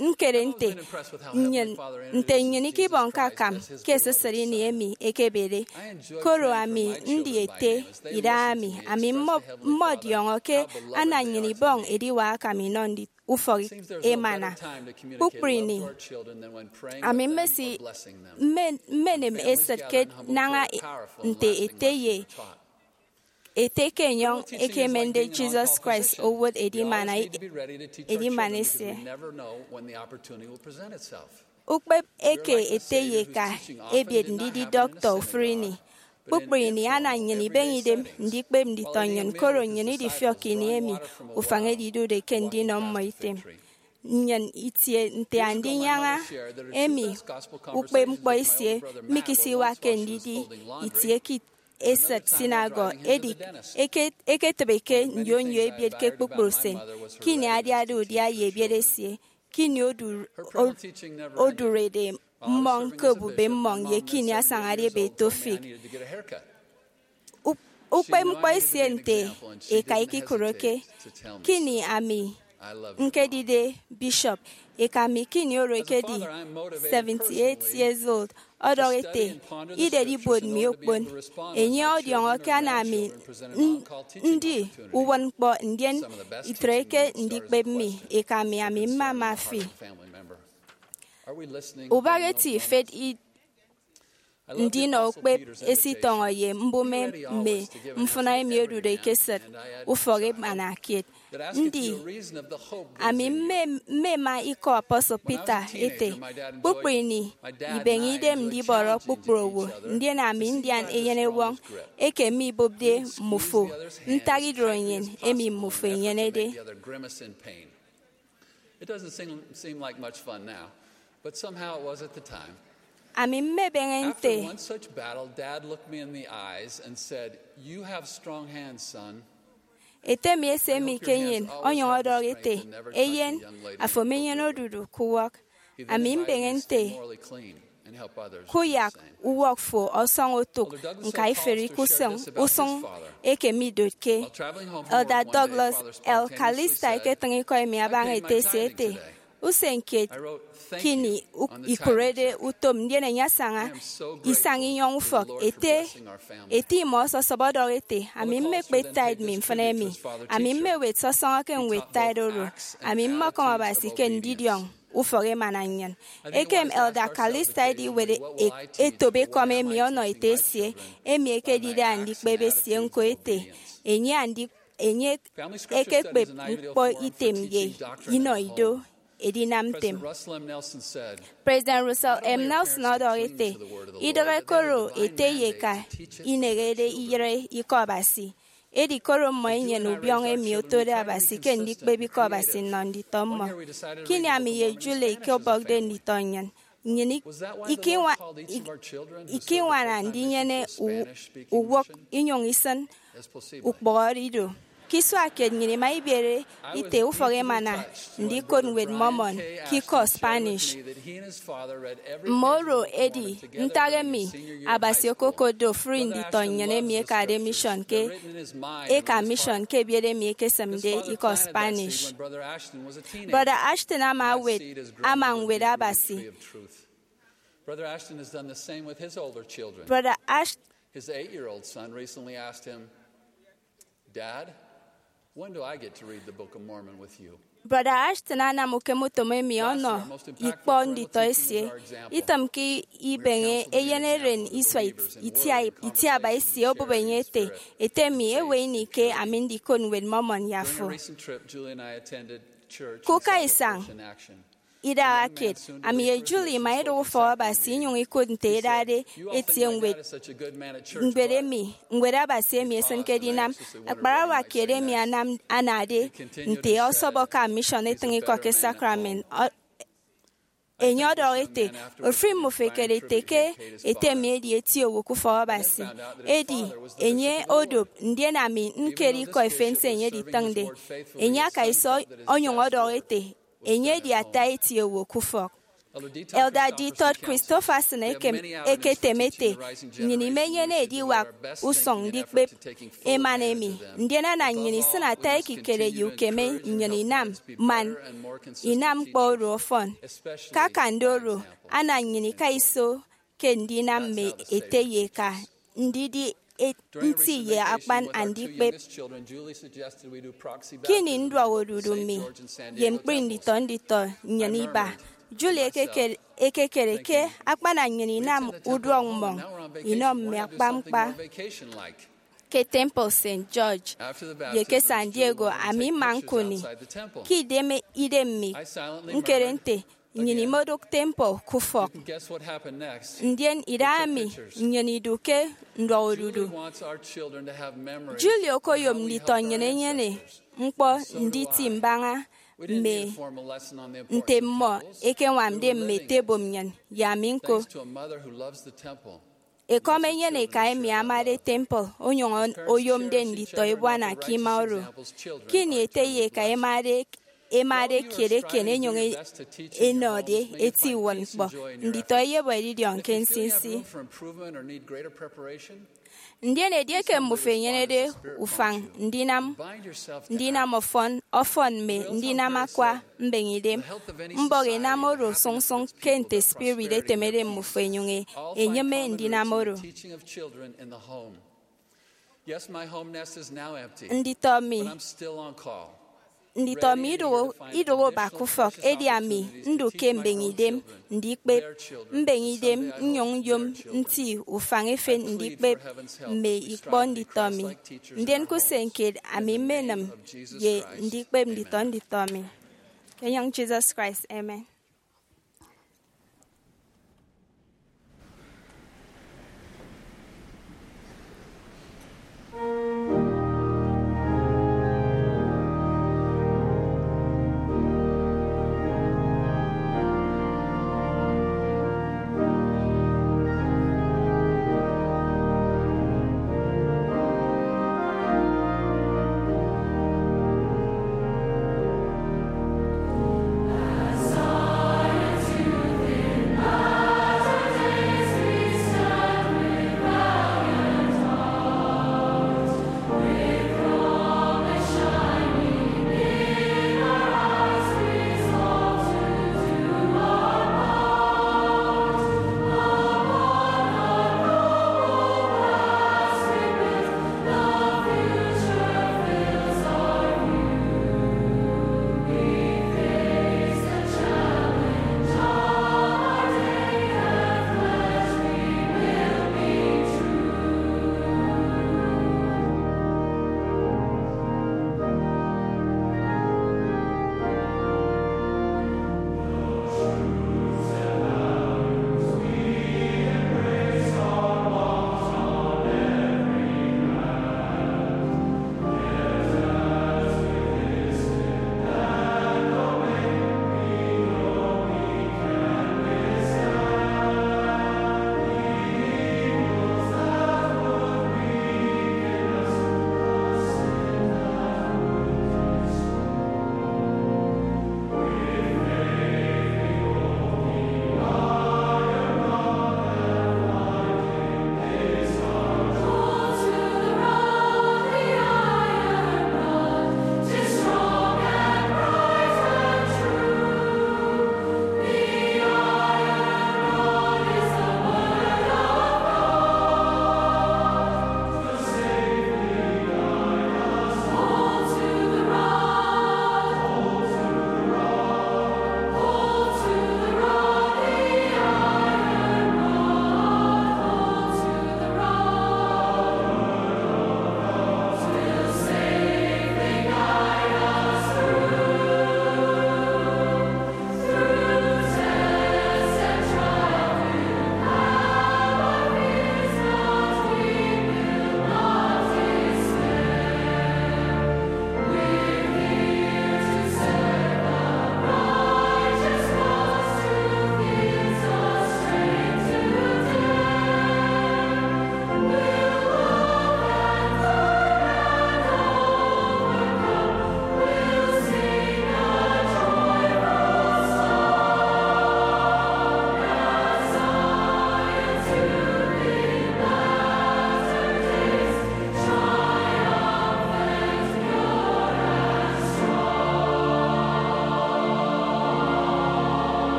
Nkere nte nnyịn nte nnyịn ikibọñke akam ke esisịt ini emi ekebede, koro ami ndi ete idaha mi, ami mmọdiọñọ ke ana nnyịn ibọñ ediwak akam inọ ufọk emana. Kpukpru ini, ami mmesi mmenem esịt ke naña nte ete ye ete ke enyọñ eke emende Jesus Christ owot edimana edimana esie. Ukpep eke ete ye eka ebiet ndidi dọktọ ofụri ini. Kpukpru ini ana nnyịn ibeñe idem ndikpep nditọ nnyịn, koro nnyịn idifiọk ke ini emi ufañ edidude ke ndinọ mmọ item. nnyịn itie nte Andinyaña emi ukpepñkpọ esie mikisiwakke ndidi itie ke esịt synagogue, edi eke- eketịbe ke nyonyo ebiet ke kpukpru usen. Ke ini adiade udia ye ebiet esie, ke ini odu- o- odụrede mmọñ ke obube mmọñ ye ke ini asañade ebe eto fig, u- ukpepñkpọ esie nte eka ikikụreke. Ke ini ami ñkedide bishop, eka mi ke ini oro ekedi seventy-eight years old, ọdọhọ ete, idedibuot mi okpon. Enye ọdiọñọ ke ana ami n- ndi uwụtñkpọ, ndien itreke ndikpep mi. Eka mi, ami mmama fi. Ubak eti ifet i- ndinọ ukpep esitọñọ ye mbụme mme mfụna emi odude ke esịt ufọk emana kiet. Ndi ami mme- mmema ikọ apostle Peter ete, kpukpru ini ibeñe idem ndibọrọ kpukpru owo, ndien ami ndian eyenewọñ eke mibụpde mmufo ntak idụt nnyịn emi mmufo enyenede. It doesn't seem, seem like much fun now, but somehow it was at the time. Ami mmebeñe nte. After one such battle, Dad looked me in the eyes and said, "You have strong hands, son." Ete mi ese mi ke nnyịn ọnyọñ ọdọhọ ete, eyen, afo menyene odudu ke uwak. Ami mbeñe nte, kuyak uwak fo ọsọñ otụk ñkaiferi ke usụñ, usụñ eke midotke. Elder Douglas L. Calista eketịñ ikọ emi abaña ete esie ete, usen kiet ke ini ikụrede utom, ndien enye asaña isañ inyọñ ufọk ete, ete imọ ọsọsọp ọdọhọ ete, ami mmekpet tithe mi mfịn emi. Ami mmewet sọsọñọ ke ñwed tithe oro. Ami mmọkọm Abasi ke ndidiọñ ufọk emana nnyịn. Ekem Elder Calista ediwet e- etop ekọm emi ọnọ ete esie, emi ekedide andikpep esie ñko ete, enye andi- enye ekekpep ñkpọ item ye inọ ido edinam ntem. President Russell M. Nelson ọdọhọ ete, idịghe koro ete ye eka ineñede iyịre ikọ Abasi, edi koro mmọ ẹnyene ubiọñọ emi otode Abasi ke ndikpep ikọ Abasi nnọ nditọ mmọ. Ke ini ami ye Julie ikebọkde nditọ nnyịn, nnyịn ik- ikiñwa- ik- ikiñwana ndinyene u- uwụk inyụñ isịn ukpọhọde ido. Ke isua kiet nnyịn ima ibiere ite ufọk emana ndikot ñwed Mormon ke ikọ Spanish. Mme oro edi ntak emi Abasi okokotde ofụri nditọ nnyịn emi ẹkade mission ke eka mission ke ebiet emi ẹkesịmde ikọ Spanish. Brother Ashton ama ewet ama ñwed Abasi. Brother Ashton has done the same with his older children. Brother Ash- His eight-year-old son recently asked him, "Dad, when do I get to read the Book of Mormon with you?" Brother Ashton anam ukemutom emi ọnọ ikpọ nditọ esie. Itịm ke ibeñe eyen eren isua it- itia- itiaba esie obụp enye ete, ete mi, ewe ini ke ami ndikot ñwed Mormon ye afo? During a recent trip, Julie and I attended church in South Force in Action. Idaha kiet, ami ye Julie ima idụk ufọk Abasi inyụñ ikụt nte ẹdade ẹtie ñwed, ñwed emi, ñwed Abasi emi esịnke edinam. Akparawa kiet emi anam anade nte ọsọbọ ke mission etịñ ikọ ke sacrament. Ọ- enye ọdọhọ ete, ofụri mmụfo ẹkere ete ke ete mi edi eti owo ke ufọk Abasi. Edi enye odop, ndien ami ñkere ikọ efen se enye editịñde. Enye aka iso onyụñ ọdọhọ ete, enye edi ata eti owo ke ufọk. Elder D. Todd Christofferson ekem eketem ete, nnyịn imenyene ediwak usụñ ndikpep emana emi, ndien ana nnyịn isịn ata ekikere ye ukeme nnyịn inam man inam ñkpọ oro ọfọn. Ke akande oro, ana nnyịn ika iso ke ndinam mme ete ye eka ndidi e- nti ye akpan andikpep. Ke ini nduọk odudu mi ye ñkpri nditọ nditọ nnyịn iba, Julie ekeke- ekekere ke akpana nnyịn inam uduọk mmọñ inọ mme akpañkpa. Ke Temple Saint George ye ke San Diego, ami mma ñkụni ke idem idem mi ñkere nte nnyịn imodụk temple ke ufọk. Ndien idahaemi nnyịn idu ke nduọk odudu. Julie okoyom nditọ nnyịn ẹnyene ñkpọ nditi mbaña mme nte mmọ ekeñwamde mme ete ebo nnyịn ye ami ñko. Ekọm enyene eka emi amade temple onyụñ oyomde nditọ ebuana ke ima oro. Ke ini ete ye eka emade emade kiet eken enyụñ e- enọde eti uwụtñkpọ, nditọ eyebọ edidiọñ ke nsinsi. Ndien edieke mmụfo enyenede ufañ ndinam ndinam ọfọn ọfọn mme ndinam akwa mbeñeidem, mbọk inam oro sụñsụñ ke nte spirit etemede mmụfo enyụñ e- enyịme ndinam oro. Nditọ mi nditọ mi idụhe idụhe ubak ufọk, edi ami ndu ke mbeñeidem ndikpep mbeñeidem nnyụñ nyom nti ufañ efen ndikpep mme ikpọ nditọ mi. Ndien ke usen kiet ami mmenịm ye ndikpep nditọ nditọ mi. Ke enyịñ Jesus Christ, amen.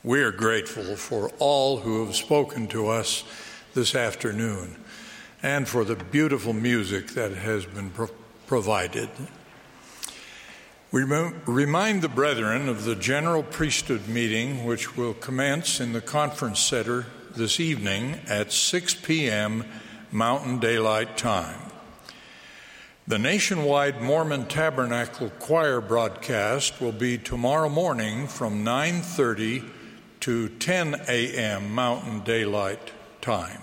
We are grateful for all who have spoken to us this afternoon and for the beautiful music that has been pro- provided. We rem- remind the brethren of the general priesthood meeting, which will commence in the conference center this evening at six p.m. Mountain Daylight Time. The nationwide Mormon Tabernacle Choir broadcast will be tomorrow morning from nine thirty to ten a.m. Mountain Daylight Time.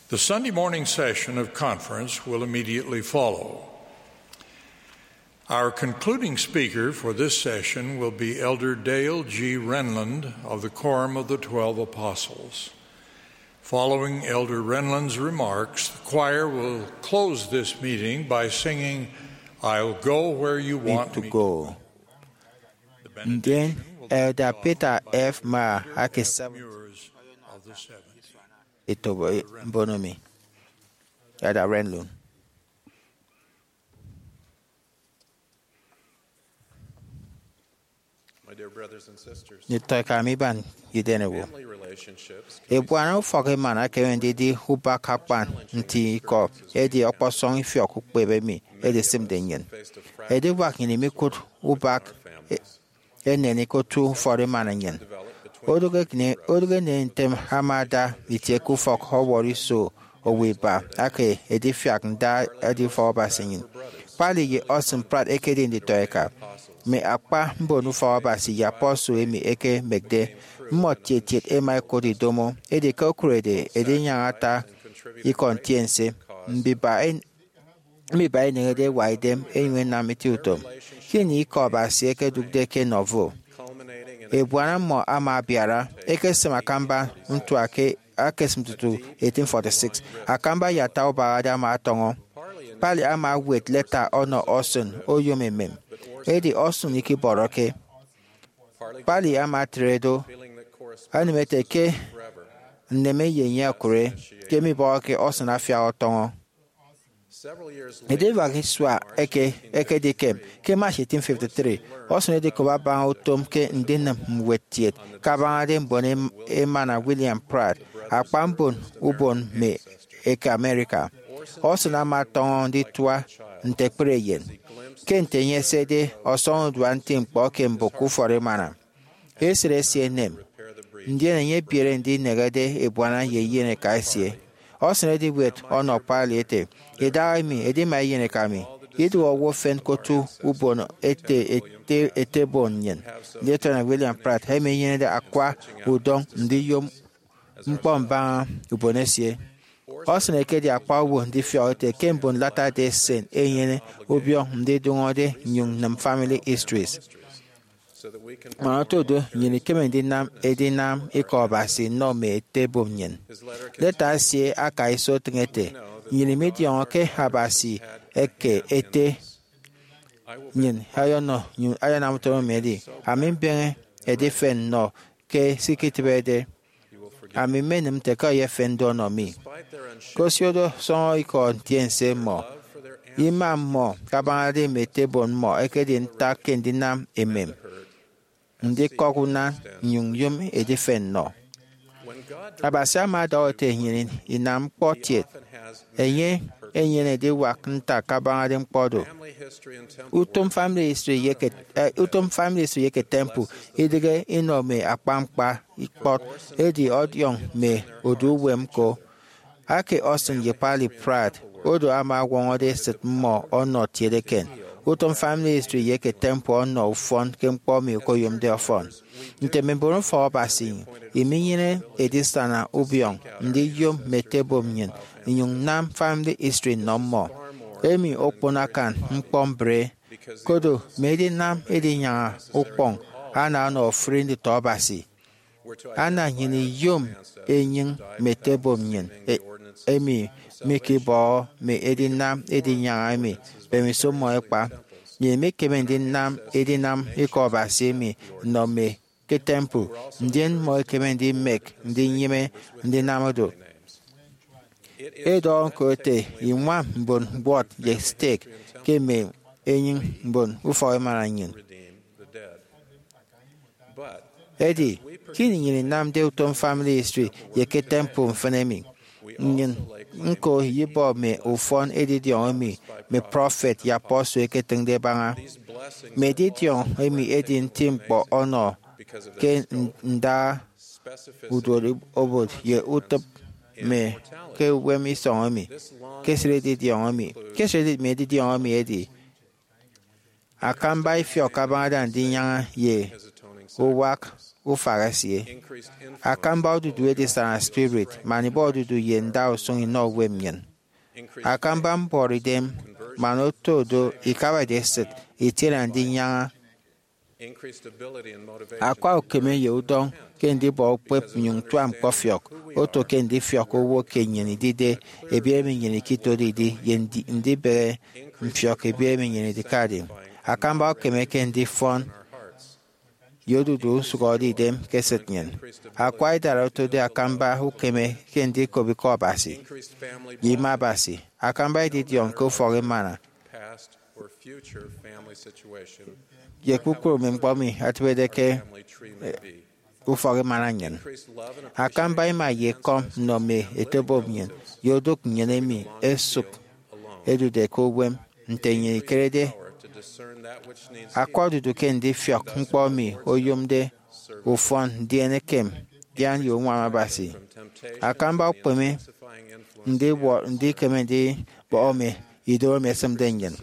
The Sunday morning session of conference will immediately follow. Our concluding speaker for this session will be Elder Dale G. Renlund of the Quorum of the Twelve Apostles. Following Elder Renlund's remarks, the choir will close this meeting by singing, "I'll Go Where You Want Me to Go." Ndien Elder Peter F. Maher aka Seventh etobo mbono mi. Elder Renlund. Nditọeka mi iban ye idanewo, ebuana ufọk emana ekeme ndidi ubak akpan nti ikọ, edi ọkpọsọñ ifiọk ukpep emi edisịmde nnyịn. Ediwak nnyịn imikụt ubak e- enen ke otu ufọt emana nnyịn. Odụk eken- odụk enen ntem ama ada itie ke ufọk ọwọrọ iso owo iba aka edifiak nda edi ufọk Abasi nnyịn. Parley ye Orson Pratt ekedi nditọeka. Mme akpa mbon ufọk Abasi ye apostle emi ẹkemekde mmọ tiet tiet ẹma ẹkụt idomo, edi ke okurede ẹdinyaña ata ikọ ntiense, mbiba en- mbiba eneñede ewa idem ẹnyụñ ẹnam itieutom. Ke ini ikọ Abasi ẹkedụkde ke Nauvoo, ebuana mmọ ama abiara, ekesem akamba ntua ke akesịm tutu eighteen forty-six. Akamba ye ata ubahade ama atọñọ. Parley ama ewet leta ọnọ Orson oyom emem, edi Orson ikibọrọke. Parley ama etre do, anam ete ke nneme ye enye okụre, ke mibọhọke Orson afiak ọtọñọ. Ediwak isua eke ekedikem, ke March eighteen fifty-three, Orson edikop abaña utom ke ndinịm ñwed kiet kabañade mbon em- emana William Pratt, akpa mbon ubon mme eke America. Orson ama ọtọñọ nditua nte ekpri eyen. Ke nte enye esede ọsọñurua nti ñkpọ ke mbụk ufọt emana, esịt esie enem, ndien enye ebiere ndinehede ebuana ye eyeneka esie. Orson ediwet ọnọ Parley ete, "Idahaemi edima eyeneka mi, idụhe owo efen ke otu ubon ete, ete, etebon nnyịn, Lieutenant William Pratt, emi enyenede akwa udọñ ndiyom ñkpọ mbaña ubon esie." Orson ekedi akpa owo ndifiọk ete ke mbon Latter-day Saint ẹnyene ubiọñ ndidụñọde nnyụñ nnịm family histories. Man oto do, nnyịn ikeme ndinam edinam ikọ Abasi nnọ mme etebom nnyịn. Leta esie aka iso etịñ ete, "Nnyịn midiọñọ ke Abasi eke ete nnyịn ayọnọ nnyịn ayanam utom emi edi, ami mbeñe edifen nnọ ke se iketịbede. Ami mmenịm nte ke eyefen do ọnọ mi." Ke osiodo sọñọ ikọ ntiense mmọ, ima mmọ kabañade mme etebon mmọ ekedi ntak ke ndinam emem, ndikọk unan, nnyụñ nyom edifen nnọ. Abasi ama ọdọhọ ete nnyịn inam ñkpọ kiet. Enye enyene ediwak ntak kabañade ñkpọ do. Utom family history ye ke, eh, utom family history ye ke temple idịghe inọ mme akpañkpa ikpọt, edi ọdiọñ mme odu uwem ñko. Ake Orson ye Parley Pratt, odo ama ọwọñọde esịt mmọ ọnọ kiet eken. Utom family history ye ke temple ọnọ ufọn ke ñkpọ emi okoyomde ọfọn. Nte mme mbon ufọk Abasi, iminyene edisana ubiọñ ndiyom mme etebom nnyịn, inyụñ nam family history nnọ mmọ. Emi okpon akan ñkpọ mbre, kodo mme edinam edinyaña ukpọñ ana ọnọ ofụri nditọ Abasi. Ana nnyịn iyom enyịñ mme etebom nnyịn, e- emi mikibọhọ mme edinam edinyaña emi mbemiso mmọ ẹkpa. Nnyịn mikeme ndinam edinam ikọ Abasi emi nnọ mme ke temple, ndien mmọ ẹkeme ndimek ndinyịme ndinam do. Edọhọ ñko ete, iñwam mbon mbuọt ye stake ke mme enyịñ mbon ufọk emana nnyịn. Edi, ke ini nnyịn inamde utom Family History ye ke temple mfịn emi, nnyịn ñko iyibọ mme ufọn edidiọñ emi mme prọfet ye apostle ẹketịñde ẹbaña. Mme edidiọñ emi edi nti ñkpọ ọnọ ke nda uduot obot ye utịp mme ke uwem isọñ emi. Ke esịt edidiọñ emi, ke esịt mme edidiọñ emi edi akamba ifiọk abañade andinyaña ye uwak ufak esie. Akamba odudu edisana spirit man ibọ odudu ye nda usụñ inọ uwem nnyịn. Akamba mbọrọidem man oto do ikabade esịt itiene andinyaña. Akwa ukeme ye udọñ ke ndibọ ukpep nnyụñ tua ñkpọfiọk oto ke ndifiọk owo ke nnyịn idide ebiet emi nnyịn ikitode idi ye ndi- ndibehe mfiọk ebiet emi nnyịn idikade. Akamba ukeme ke ndifọn ye odudu nsụhọde idem ke esịt nnyịn. Akwa idara otode akamba ukeme ke ndikop Ikọ Abasi ye ime Abasi. Akamba edidiọñ ke ufọk emana ye kpukpru mme ñkpọ emi ẹtịbede ke ufọk emana nnyịn. Akamba ima ye ekọm nnọ mme etubom nnyịn ye odụk nnyịn emi ẹsụk ẹdude ke uwem nte nnyịn ikerede. Akwa odudu ke ndifiọk ñkpọ emi oyomde ufọn ndien ekem dian ye uñwam Abasi. Akamba ukpeme ndiwọ- ndikeme ndibọhọ mme ido emi ẹsịmde nnyịn.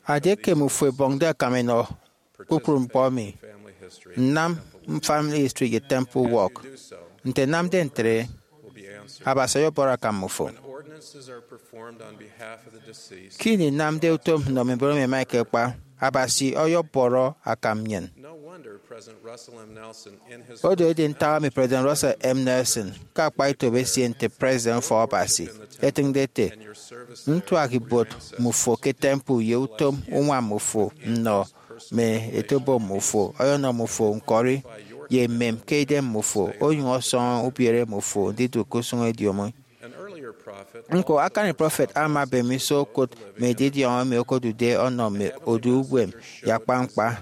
Adi ekem ufo ebọñde akam enọ kpukpru ñkpọ emi, nnam Family History ye Temple Walk, nte nnamde ntre, Abasi ọyọbọrọ akam mmufo. Ke ini nnamde utom nnọ mme mbon emi ẹma ẹkekpa, Abasi ọyọbọrọ akam nnyịn. Odo edi ntak emi President Russell M. Nelson, ke akpa etop esie nte President Ufọkabasi, etịñde ete, ntuak ibuot mmufo ke temple ye utom uñwam mmufo nnọ mme etubom mmufo ọyọnọ mmufo ñkọri ye emem ke idem mmufo, onyụñ ọsọñọ ubiere mmufo ndidụk ke usụñ ediomi. Ñko, akani prọfet ama abem iso okụt mme edidiọñ emi okodude ọnọ mme odu uwem ye akpañkpa.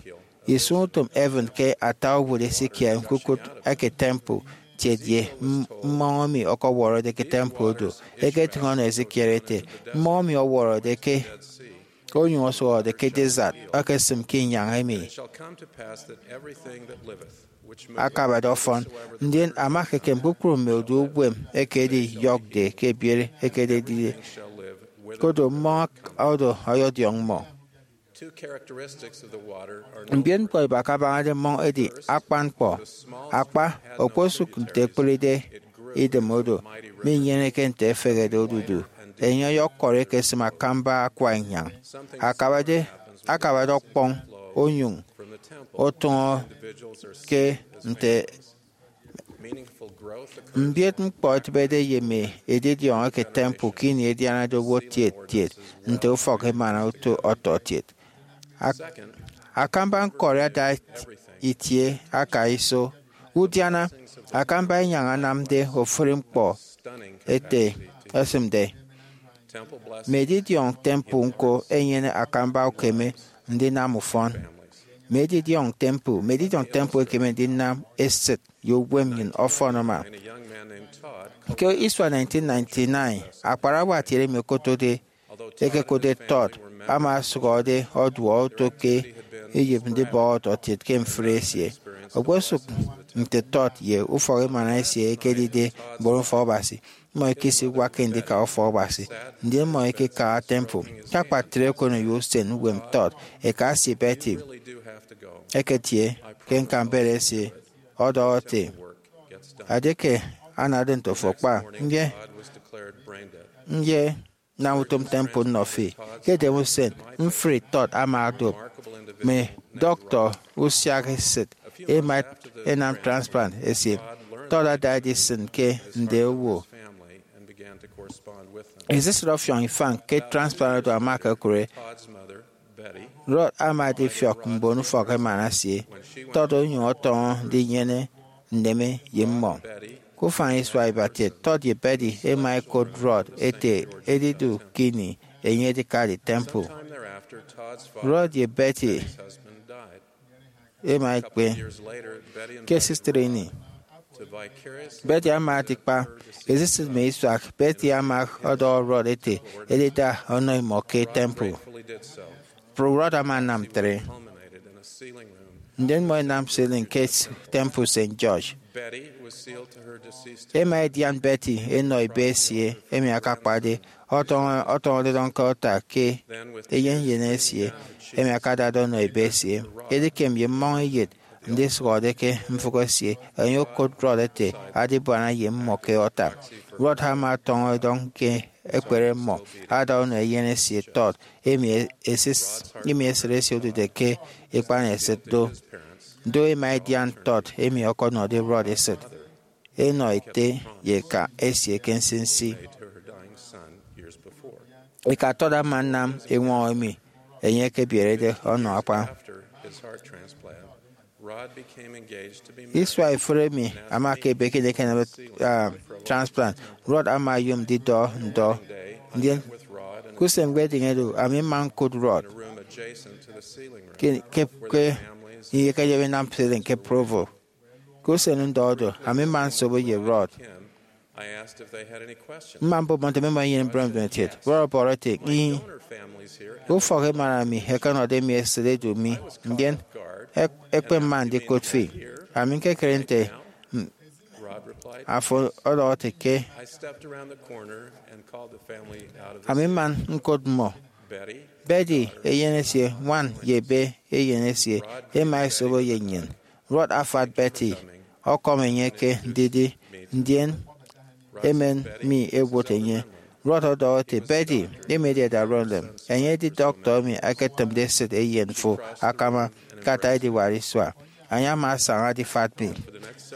Isụñutom heaven ke ata obot Ezekiel ñkukụt eke temple, tiet ye m- mmọñ emi ọkọwọrọde ke temple odu. Eketịñ ọnọ Ezekiel ete, mmọñ emi ọwọrọde ke onyụñ osụhọde ke desert ọkesịm ke inyañ emi akabade ọfọn, ndien ama ekekem kpukpru mme odu uwem eke ediyọkde ke ebiere ekededide, kodo mmọñ oro ọyọdiọñ mmọ. Mbiet ñkpọ ibak abañade mmọñ edi akpan ñkpọ. Akpa, okposụk nte ekpụride idem odo, minyeneke nte efehede odudu, enye ọyọkọri ekesịm akamba akwa inyañ akabade akabade ọkpọñ, onyụñ otụñọ ke nte mbiet ñkpọ etịbede ye mme edidiọñ eke temple ke ini ẹdianade owo tiet tiet nte ufọk emana oto ọtọkiet. Ak- akamba ñkọri ada itie aka iso. Udiana akamba inyañ anamde ofụri ñkpọ ete esịmde. Mme edidiọñ temple ñko ẹnyene akamba ukeme ndinam ufọn. Mme edidiọñ temple, mme edidiọñ temple ẹkeme ndinam esịt ye uwem nnyịn ọfọn ama. Ke isua nineteen ninety-nine, akparawa atiene emi okotode, ekekotde Todd, ama asụhọde ọduọ oto ke iyịp ndibọhọ ọtọkiet ke mfri esie. Okposụk nte Todd ye ufọk emana esie ẹkedide mbon ufọkabasi, mmọ ikesiwakke ndika ufọkabasi, ndien mmọ ikeka temple. Ke akpatre okoneyo usen uwem Todd, eka esie Betty eketie ke ñkambet esie ọdọhọ ete, Edieke anade nte ofo kpa, nye, nye nam utom temple nnọ fi. Ke edem usen, mfri Todd ama odop. Mme dọktọ usiak esịt ẹma ẹnam transplant esie. Todd ada edisịn ke nde owo. Esisịt ọfiọñ ifañ ke transplant oro ama okokụre. Rod ama adifiọk mbon ufọk emana esie. Todd onyụñ ọtọñọ ndinyene nneme ye mmọ. Ufañ isua ibatiet, Todd ye Betty ẹma ẹkot Rod ẹte edidu ke ini enye edikade temple. Rod ye Betty ẹma ẹkpe. Ke esisịt ini, Betty ama atikpa. Esisịt mme isuak, Betty ama ọdọhọ Rod ete edida ọnọ imọ ke temple. Rod ama anam ntre, ndien mmọ ẹnam ceiling ke Temple Saint George. Ẹma ẹdian Betty ẹnọ ebe esie emi akakpade, ọtọñọ- ọtọñọde dọñke ọta ke eyen nnyịn esie emi akadade ọnọ ebe esie. Edikem ye mmọñeyet ndisụhọde ke mfụk esie, enye okot Rod ete adibuana ye mmọ ke ọta. Rod ama ọtọñọ edọñ ke ekpere mmọ ada ọnọ eyen esie Todd, emi esịt esie odude ke ikpanesịt do. Do ẹma ẹdian Todd emi ọkọnọde Rod esịt, ẹnọ ete ye eka esie ke nsinsi. Eka Todd ama anam eñwọñọ emi enye ekebierede ọnọ akpa. Isua ifụre emi ama ke ebe ke ini ekenamde transplant, Rod ama oyom ndidọ ndọ. Ndien ke usen ñkpọ edịñe do, ami mma ñkụt Rod ke ke ke ini ẹkeyem ẹnam ceiling ke Provo. Ke usen ndọ do, ami mma nsobo ye Rod. Mma mbọbọ nte mmimọ inyene mbubehe mbubehe kiet. Rod ọbọrọ ete, Ih, ufọk emana mi ẹkenọde mi esịt edu mi, ndien ẹkpep mma ndikụt fi. Ami ñkekere nte afo ọdọhọde ke. Ami mma ñkụt mmọ. Betty, eyen esie, ñwan ye ebe eyen esie, ẹma ẹsobo ye nnyịn. Rod afat Betty, ọkọm enye ke ndidi, ndien emen mi ẹwot enye. Rod ọdọhọ ete, Betty, emi edi Ada Rowland, enye edi dọktọ emi eketịmde esịt eyen fo akama ke ata ediwak isua. Enye ama asaña adifat mi,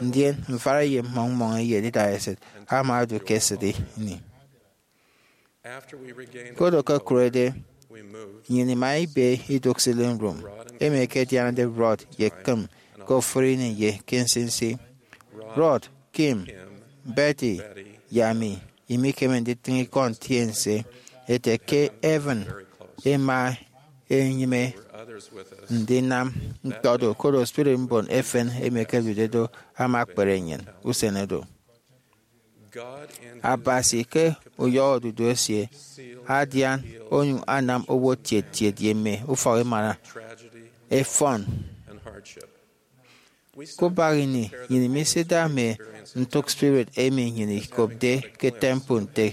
ndien mfara ye mmọñ mmọñ eyen idaha esịt ama odu ke esịt ini. Ke odo ke okurede, nnyịn ima ibe idụk ceiling room emi ẹkedianade Rod ye Kim ke ofụri ini ye ke nsinsi. Rod, Kim, Betty, ye ami imikeme nditịñ ikọ ntiense ete ke Evan ima enyịme ndinam ñkpọ do, koro spirit mbon efen emi ẹkedude do ama akpere nnyịn usen oro. Abasi ke uyọhọ odudu esie adian onyụñ anam owo tiet tiet ye mme ufọk emana ẹfọn. Ke ubak ini, nnyịn imisida mme ntụk spirit emi nnyịn ikopde ke temple nte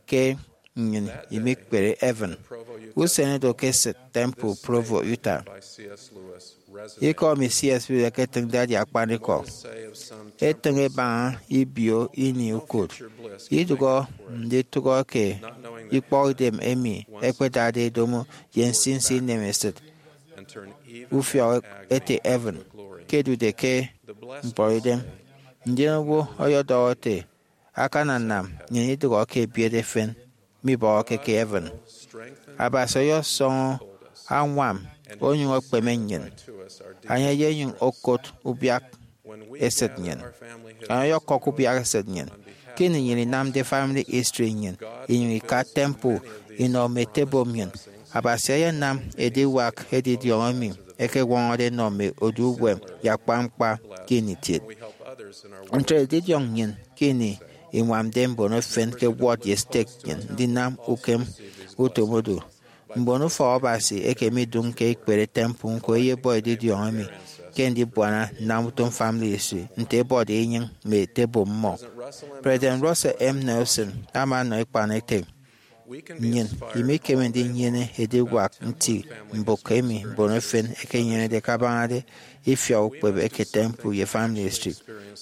ke nnyịn imikpere Evan usen oro ke esịt Temple Provo, Utah. Ikọ emi C S Lewis eketịñde edi akpanikọ. Etịñ ebaña ibio ini ukụt. Idụhọ nditụhọ ke ikpọkidem emi ẹkpedade ẹdomo ye nsinsi inemesịt ufiọk ete Evan ke ẹdude ke ñkpọidem. Ndien owo ọyọdọhọ ete, Akananam nnyịn idụhọ ke ebiet efen mibọhọke ke Evan. Abasi ọyọsọñọ añwam onyụñ okpeme nnyịn. Enye eyenyụñ okot ubiak esịt nnyịn. Enye ọyọkọk ubiak esịt nnyịn. Ke ini nnyịn inamde family history nnyịn inyụñ ika temple inọ mme etebom nnyịn, Abasi eyenam ediwak edidiọñ emi ẹkewọñọde ẹnọ mme odu uwem ye akpan ñkpa ke ini kiet. Ntre edidiọñ nnyịn ke ini iñwamde mbon efen ke ward ye stake nnyịn ndinam ukem utom odu. Mbon ufọk Abasi eke midụñke ikpere temple ñko ẹyebọ edidiọñ emi ke ndibuana nnam utom family history nte ẹbọde enyịñ mme etebom mmọ. President Russell M. Nelson ama ọnọ ikpan ete, Nnyịn imikeme ndinyene ediwak nti mbụk emi mbon efen ẹkenyenede kabañade ifiọk ukpep eke temple ye family history.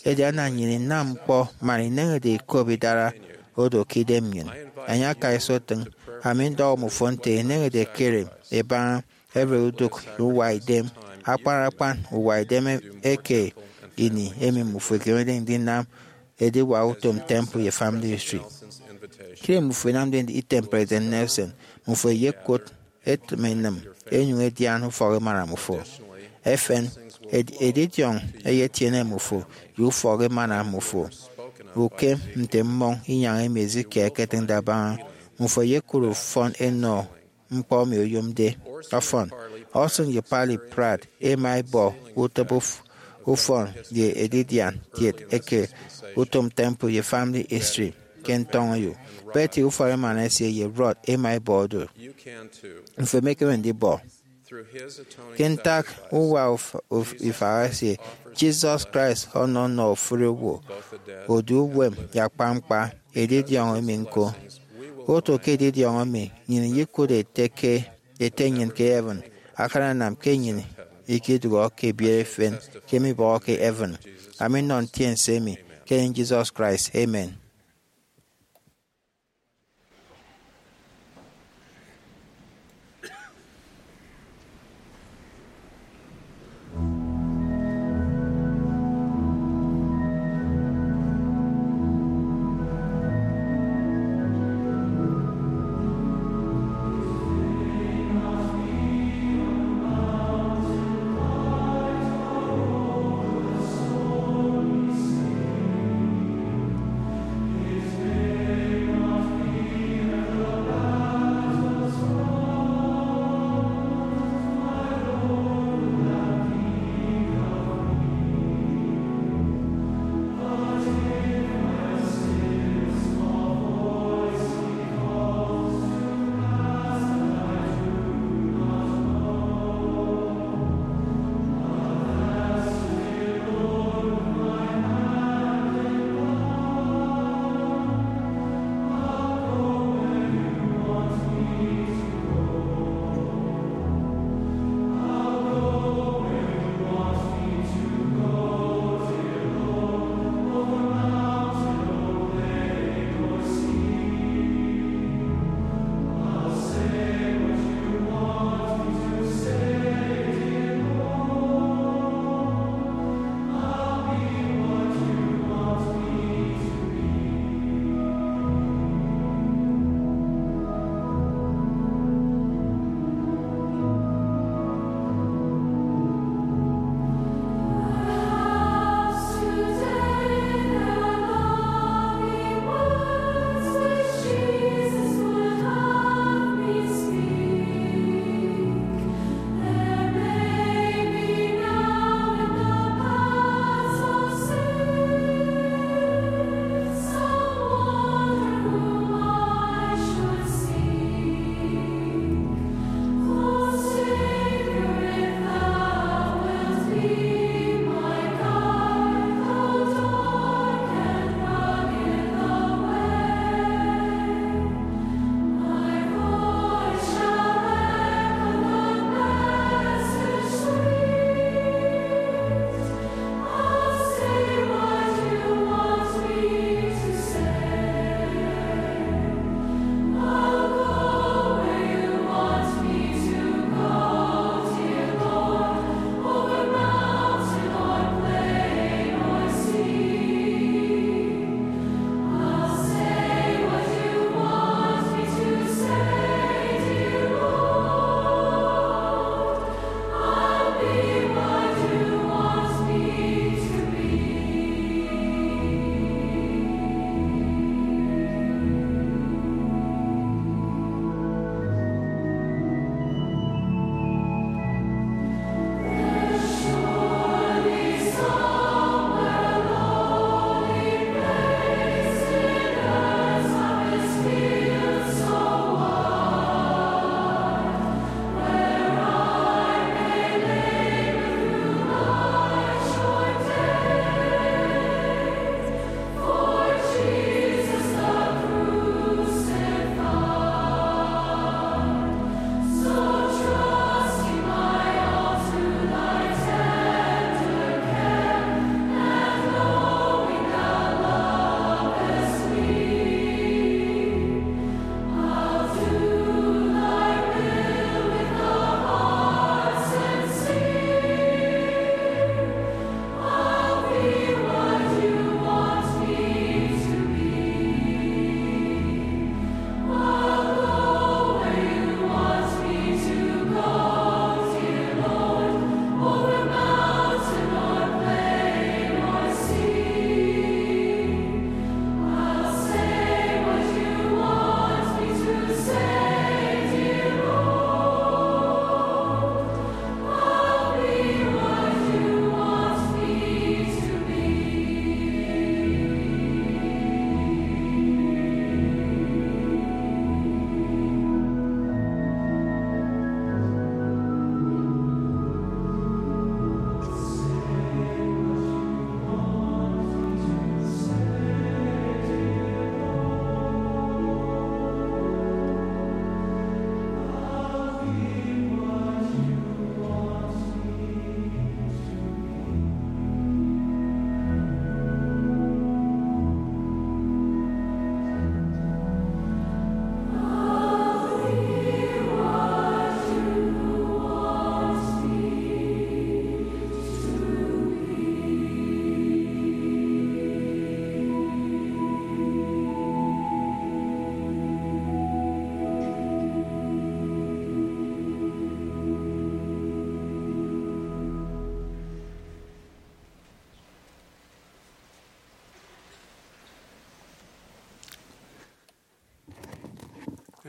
Edi ana nnyịn inam ñkpọ man ineñede ikop idara odo ke idem nnyịn. Enye akaiso etịñ. Ami ndọhọ mmọ nte ineñede ikere ibaña every udụk ye uwa idem akpan akpan uwa idem eke ini emi mmufo ikemede ndinam ediwak utom temple ye family history. Ke mmufo inamde item President Nelson, mmufo eyekot etịm enịm enyụñ edian ufọk emana mmufo. Efen, ed- edidiọñ eyetiene mmufo ye ufọk emana mmufo. ukem nte mmọñ inyañ emi Ezekiel eketịñde abaña. Mmufo ẹyekụre ufọn ẹnọ ñkpọ emi oyomde. Ọfọn, Orson ye Parley Pratt ẹma ẹbọ utịp uf- ufọn ye edidian kiet eke utom temple ye family history ke ntọñeyo. Betty ufọkemana esie ye Rod ẹma ẹbọ do. Mmufo emekeme ndibọ. Ke ntak uwa uf- uf- ifaha esie, Jesus Christ ọnọ nnọ ofụri owo, odu uwem ye akpañkpa edidiọñ emi ñko. Oto ke edidiọñ emi, nnyịn iyikụt ete ke ete nnyịn ke heaven akananam ke nnyịn ikidụhọ ke ebiere efen ke mibọhọke heaven. Ami nnọ ntiense emi ke enye Jesus Christ. Amen.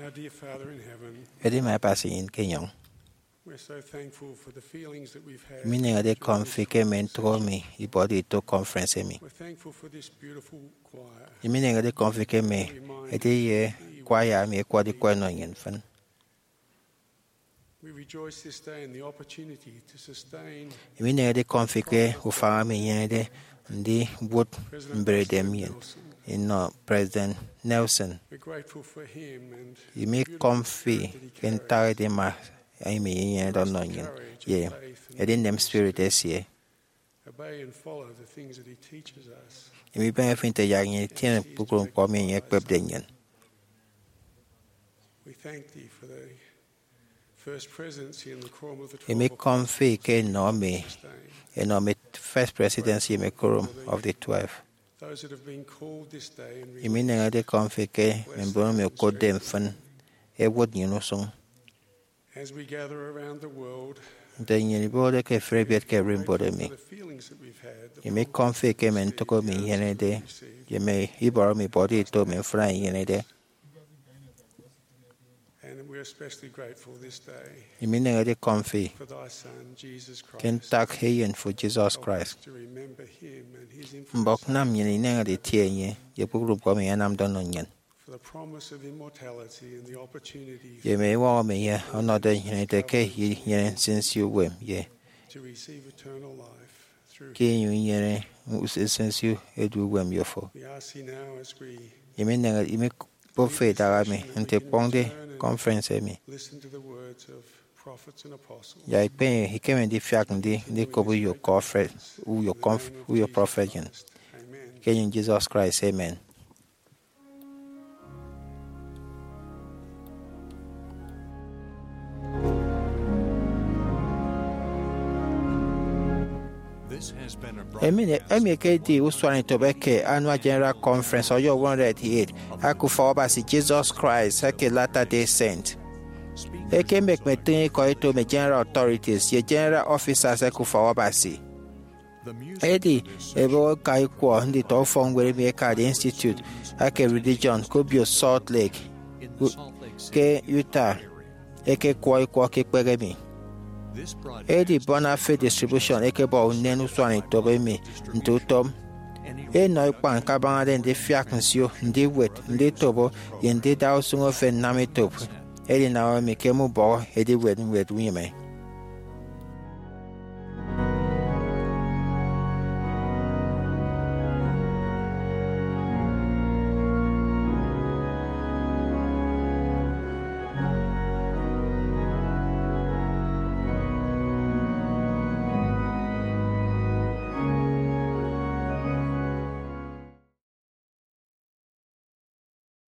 Our dear Father in heaven, edi mme Abasi nnyịn ke enyọñ. We're so thankful for the feelings that we've had. Emi ineñede kọm fi ke mme ntụk emi ibọde ito conference emi. We're thankful for this beautiful choir. Emi ineñede kọm fi ke mme ediye kwaya emi ẹkwọde ikwọ ẹnọ nnyịn mfịn. We rejoice this day in the opportunity to sustain. Emi ineñede kọm fi ke ufañ emi inyenede ndiwụt mberede nnyịn inọ President Nelson. We're grateful for him and imi kọm fi ke ntak edima emi inyenede ọnọ nnyịn ye edinem spirit esie. Obey and follow the things that he teaches us. Imi ibeñe fi nte yak nnyịn itiene kpukpru ñkpọ emi enye ekpepde nnyịn. We thank thee for the first presidency in the quorum of the twelve. Imi kọm fi ke enọ mi, enọ mi first presidency imi quorum of the twelve. Those that have been called this day and imi ineñede kọm fi ke mme mbon emi okotde mfịn ẹwụt nnyịn usụñ. As we gather around the world, nte nnyịn ibọhọde ke efịri ebiet ke ererimbot emi, for the feelings that we've had, the imi kọm fi ke mme ntụk emi inyenede ye mme ibọrọ emi ibọde ito mme mfịna inyenede. And we're especially grateful this day imi ineñede kọm fi for thy Son, Jesus Christ. Ke ntak eyen fo Jesus Christ. To remember him and his mbọk nam nnyịn ineñede itie enye ye kpukpru ñkpọ emi enye anamde ọnọ nnyịn. For the promise of immortality and the opportunity ye mme iñwañ emi enye ọnọde nnyịn ete ke inyene nsinsi uwem ye to receive eternal life through ke inyụñ inyene nsinsi edu uwem ye fo. We ask thee now as we imi neñe imi kpop fe idaha mi nte ikpọñde conference emi. Listen to the words of prophets and apostles. Ya ikpeñe ikeme ndifiak ndi ndikop uyo conference uyo conf- uyo prophet yen. Amen. Ke enyịñ Jesus Christ, amen. Emi, emi ekedi usuanetop eke Annual General Conference Ọyọhọ one hundred eighty-eight aka Ufọkabasi Jesus Christ eke Latter-day Saint. Eke mme ekpetịñ ikọ eto mme General Authorities ye General Officers eke Ufọkabasi. Edi ẹbọhọ ẹka ikwọ nditọ ufọkñwed emi ẹkade Institute eke Religion ke obio Salt Lake ke Utah ekekwọ ikwọ ke ikpehe emi. Edi Bonafide Distribution ekebọ unen usuanetop emi nte utom. Enọ ikpañ kabañade ndifiak nsio, ndiwet, nditobo, ye ndida usụñ efen nnam etop edinam emi ke mme ubọhọ ediwet ñwed unyịme.